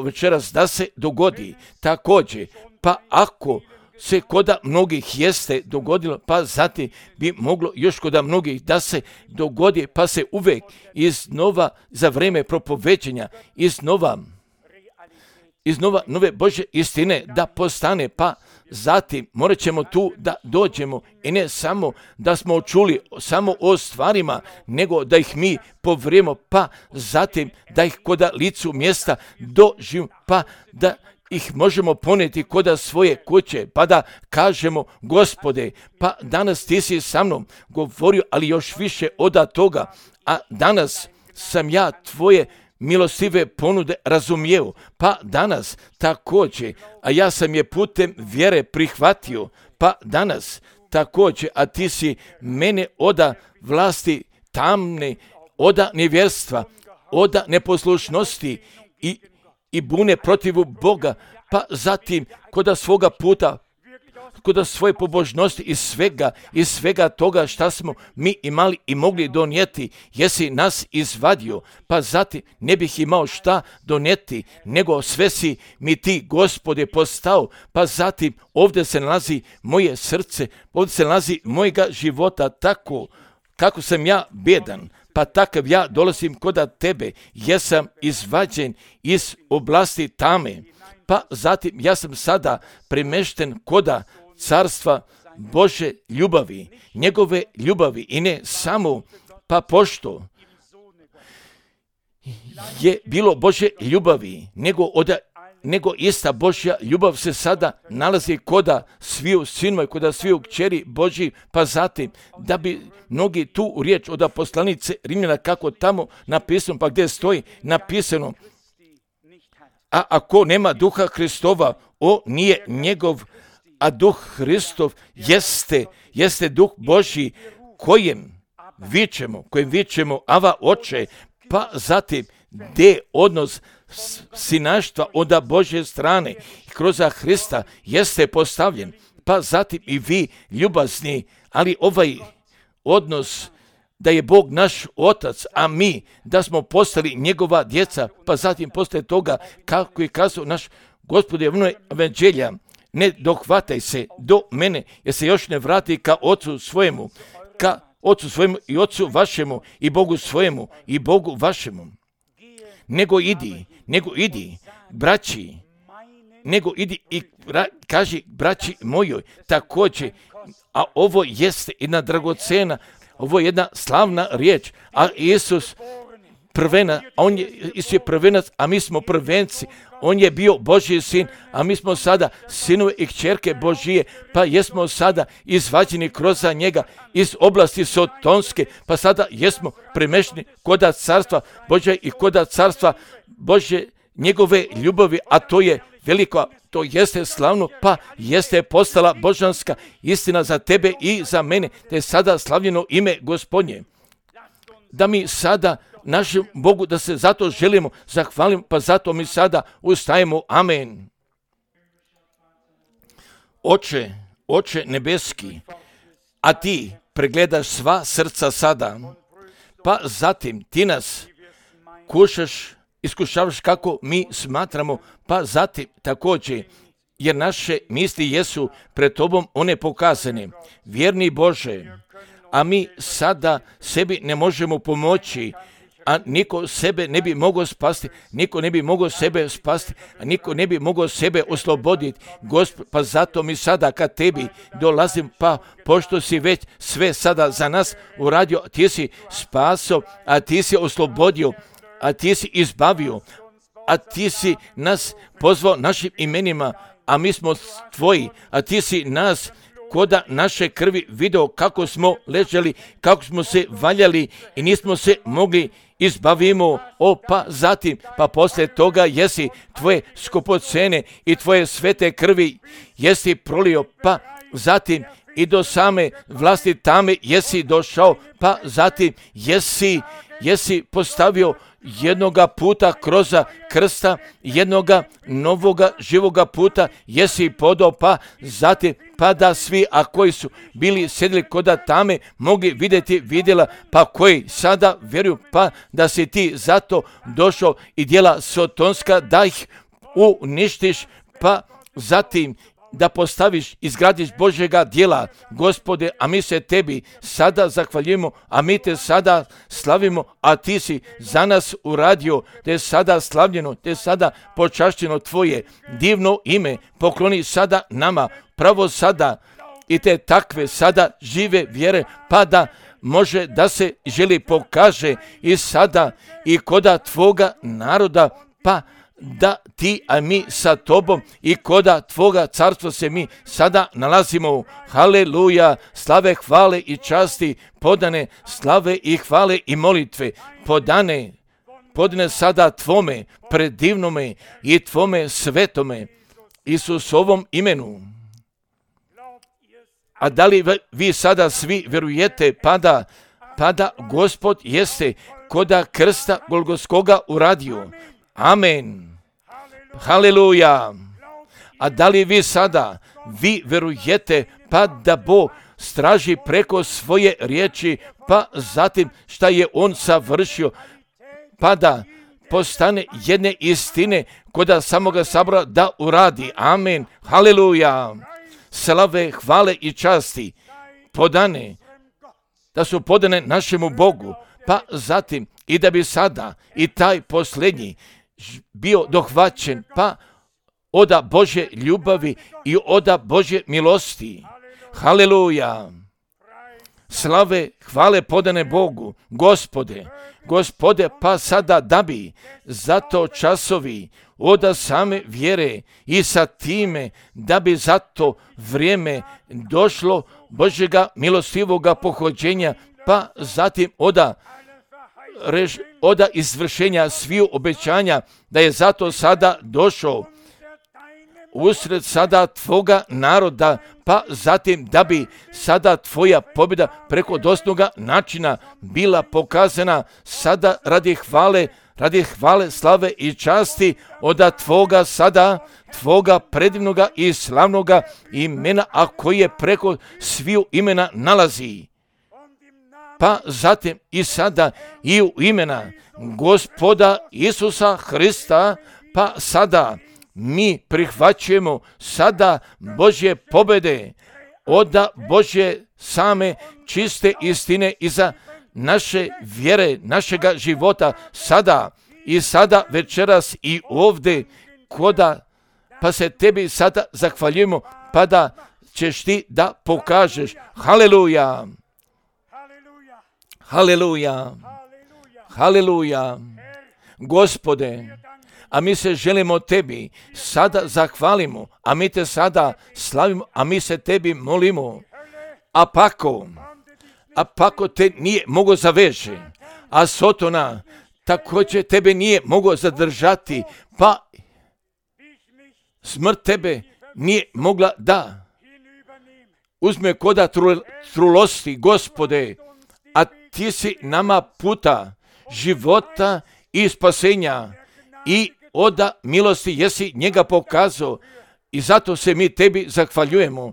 večeras da se dogodi također, pa ako se koda mnogih jeste dogodilo, pa zatim bi moglo još koda mnogih da se dogodi, pa se uvijek iznova za vrijeme propoveđenja iznova nove Božje istine da postane, pa zatim morat ćemo tu da dođemo i ne samo da smo čuli samo o stvarima, nego da ih mi povrijemo, pa zatim da ih koda licu mjesta doživimo, pa da ih možemo poneti koda svoje kuće, pa da kažemo: Gospode, pa danas ti si sa mnom govorio, ali još više od toga, a danas sam ja tvoje milostive ponude razumijeo, pa danas također, a ja sam je putem vjere prihvatio, pa danas također, a ti si mene oda vlasti tamne, oda nevjerstva, oda neposlušnosti i bune protiv Boga, pa zatim koda svoga puta, koda svoje pobožnosti i svega toga šta smo mi imali i mogli donijeti, jesi nas izvadio, pa zatim ne bih imao šta donijeti, nego sve si mi ti, Gospode, postao, pa zatim ovdje se nalazi moje srce, ovdje se nalazi mojega života, tako kako sam ja bjedan, pa takav ja dolazim koda tebe, jesam izvađen iz oblasti tame, pa zatim ja sam sada premešten koda carstva Bože ljubavi, njegove ljubavi, i ne samo, pa pošto je bilo Bože ljubavi, nego ista Božja ljubav se sada nalazi koda sviju sinova, koda sviju kćeri Božji, pa zatim da bi mnogi tu riječ od poslanice Rimljana, kako tamo napisano, pa gdje stoji napisano: a ako nema duha Hristova, on nije njegov, a duh Hristov jeste duh Božji, kojem vičemo Ava Oče, pa zatim gdje odnos sinaštva od Božje strane kroz Hrista jeste postavljen, pa zatim i vi ljubazni, ali ovaj odnos da je Bog naš Otac, a mi da smo postali njegova djeca, pa zatim poslije toga, kako je kazao naš Gospod je evanđelja: ne dohvataj se do mene, jer se još ne vrati ka Ocu svojemu i Ocu vašemu i Bogu svojemu i Bogu vašemu. Nego idi, braći, i kaži braći mojoj također, a ovo jeste jedna dragocena, ovo je jedna slavna riječ, a Isus je prvenac, a mi smo prvenci. On je bio Božji sin, a mi smo sada sinove i kćerke Božije, pa jesmo sada izvađeni kroz njega iz oblasti sotonske, pa sada jesmo premješteni koda carstva Božje i koda carstva Božje njegove ljubavi, a to je veliko, to jeste slavno, pa jeste postala božanska istina za tebe i za mene, te je sada slavljeno ime Gospodnje. Da mi sada našem Bogu, da se zato želimo zahvalimo, pa zato mi sada ustajemo. Amen. Oče nebeski, a ti pregledaš sva srca sada, pa zatim ti nas iskušavaš kako mi smatramo, pa zatim također, jer naše misli jesu pred tobom one pokazane. Vjerni Bože, a mi sada sebi ne možemo pomoći, a niko sebe ne bi mogao spasti, niko ne bi mogao sebe spasti, a niko ne bi mogao sebe osloboditi. Gospod, pa zato mi sada kad tebi dolazim, pa pošto si već sve sada za nas uradio, ti si spasao, a ti si oslobodio, a ti si izbavio, a ti si nas pozvao našim imenima, a mi smo tvoji, a ti si nas koda naše krvi video kako smo ležali, kako smo se valjali i nismo se mogli izbavimo, pa zatim, pa poslije toga jesi tvoje skupocene i tvoje svete krvi jesi prolio, pa zatim i do same vlasti tame jesi došao, pa zatim jesi postavio jednoga puta kroz krsta, jednoga novoga živoga puta, jesi podao, pa zatim pa da svi, a koji su bili sjedili koda tame, mogli vidjeti vidjela, pa koji sada vjeruju, pa da si ti zato došao i djela sotonska da ih uništiš, pa zatim da postaviš, izgradiš Božjega djela, Gospode, a mi se tebi sada zahvaljujemo, a mi te sada slavimo, a ti si za nas uradio, te je sada slavljeno, te je sada počašćeno tvoje divno ime, pokloni sada nama, pravo sada, i te takve sada žive vjere, pa da može da se želi pokaže i sada i koda tvoga naroda, pa da ti, a mi sa tobom i koda tvoga carstva se mi sada nalazimo. Haleluja, slave, hvale i časti, podane slave i hvale i molitve, podane sada tvome predivnome i tvome svetome Isusovom imenu. A da li vi sada svi vjerujete, pa da Gospod jeste koda krsta Golgotskoga uradio? Amen. Haleluja. A da li vi sada, vi verujete, pa da Bog straži preko svoje riječi, pa zatim šta je On savršio, pa da postane jedne istine koda samoga sabora da uradi. Amen. Haleluja. Slave, hvale i časti podane, da su podane našemu Bogu, pa zatim i da bi sada i taj posljednji bio dohvaćen, pa oda Božje ljubavi i oda Božje milosti. Haleluja. Slave, hvale podane Bogu, Gospode, pa sada da bi zato časovi oda same vjere i sa time da bi zato vrijeme došlo Božjega milostivoga pohođenja, pa zatim oda izvršenja sviju obećanja, da je zato sada došao usred sada tvoga naroda, pa zatim da bi sada tvoja pobjeda preko dostojnoga načina bila pokazana sada radi hvale, slave i časti oda tvoga sada, tvoga predivnoga i slavnoga imena, a koje preko sviju imena nalazi. Pa zatim i sada i u imena Gospoda Isusa Hrista, pa sada mi prihvaćujemo sada Božje pobjede, oda Božje same čiste istine iza naše vjere, našega života sada i sada večeras i ovdje pa se tebi sada zahvaljujemo, pa da ćeš ti da pokažeš. Haleluja. Haleluja. Haleluja. Gospode, a mi se želimo tebi sada zahvalimo, a mi te sada slavimo, a mi se tebi molimo. A pako te nije mogo zaveže, a Sotona također tebe nije mogo zadržati, pa smrt tebe nije mogla da uzme koda trulosti, Gospode, a ti si nama puta života i spasenja i oda milosti jesi njega pokazao i zato se mi tebi zahvaljujemo.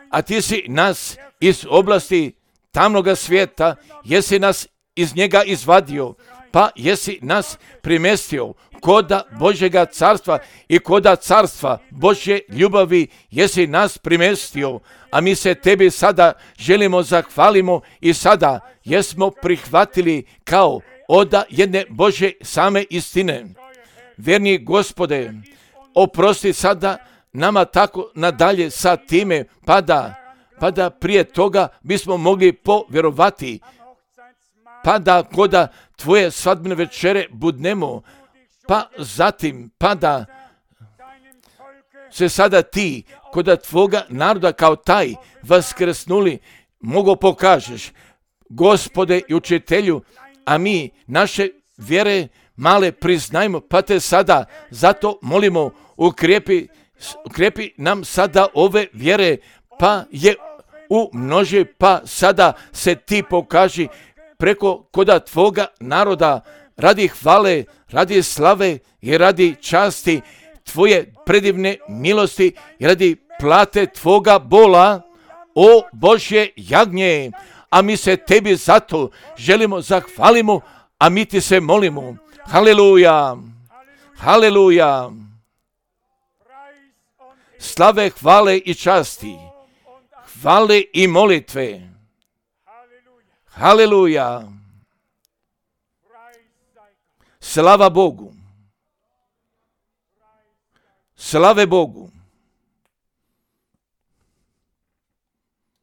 A ti si nas iz oblasti tamnoga svijeta, jesi nas iz njega izvadio, pa jesi nas primestio koda Božjega carstva i koda carstva Božje ljubavi jesi nas primestio, a mi se tebi sada želimo zahvalimo i sada jesmo prihvatili kao oda jedne Božje same istine. Vjerni Gospode, oprosti sada nama tako nadalje sa time, pa da prije toga bismo mogli povjerovati, pa da koda tvoje svadbene večere budnemo, pa zatim, pa da se sada ti koda tvoga naroda kao taj vaskrsnuli mogo pokažeš, Gospode i učitelju, a mi naše vjere male priznajmo, pa te sada zato molimo, ukrijepi nam sada ove vjere, pa je umnoži, pa sada se ti pokaži preko koda tvoga naroda radi hvale, radi slave i radi časti tvoje predivne milosti i radi plate tvoga bola, o Božje jagnje, a mi se tebi zato želimo zahvalimo, a mi ti se molimo. Haleluja, haleluja. Slave, hvale i časti, hvale i molitve. Haleluja. Slava Bogu. Slave Bogu.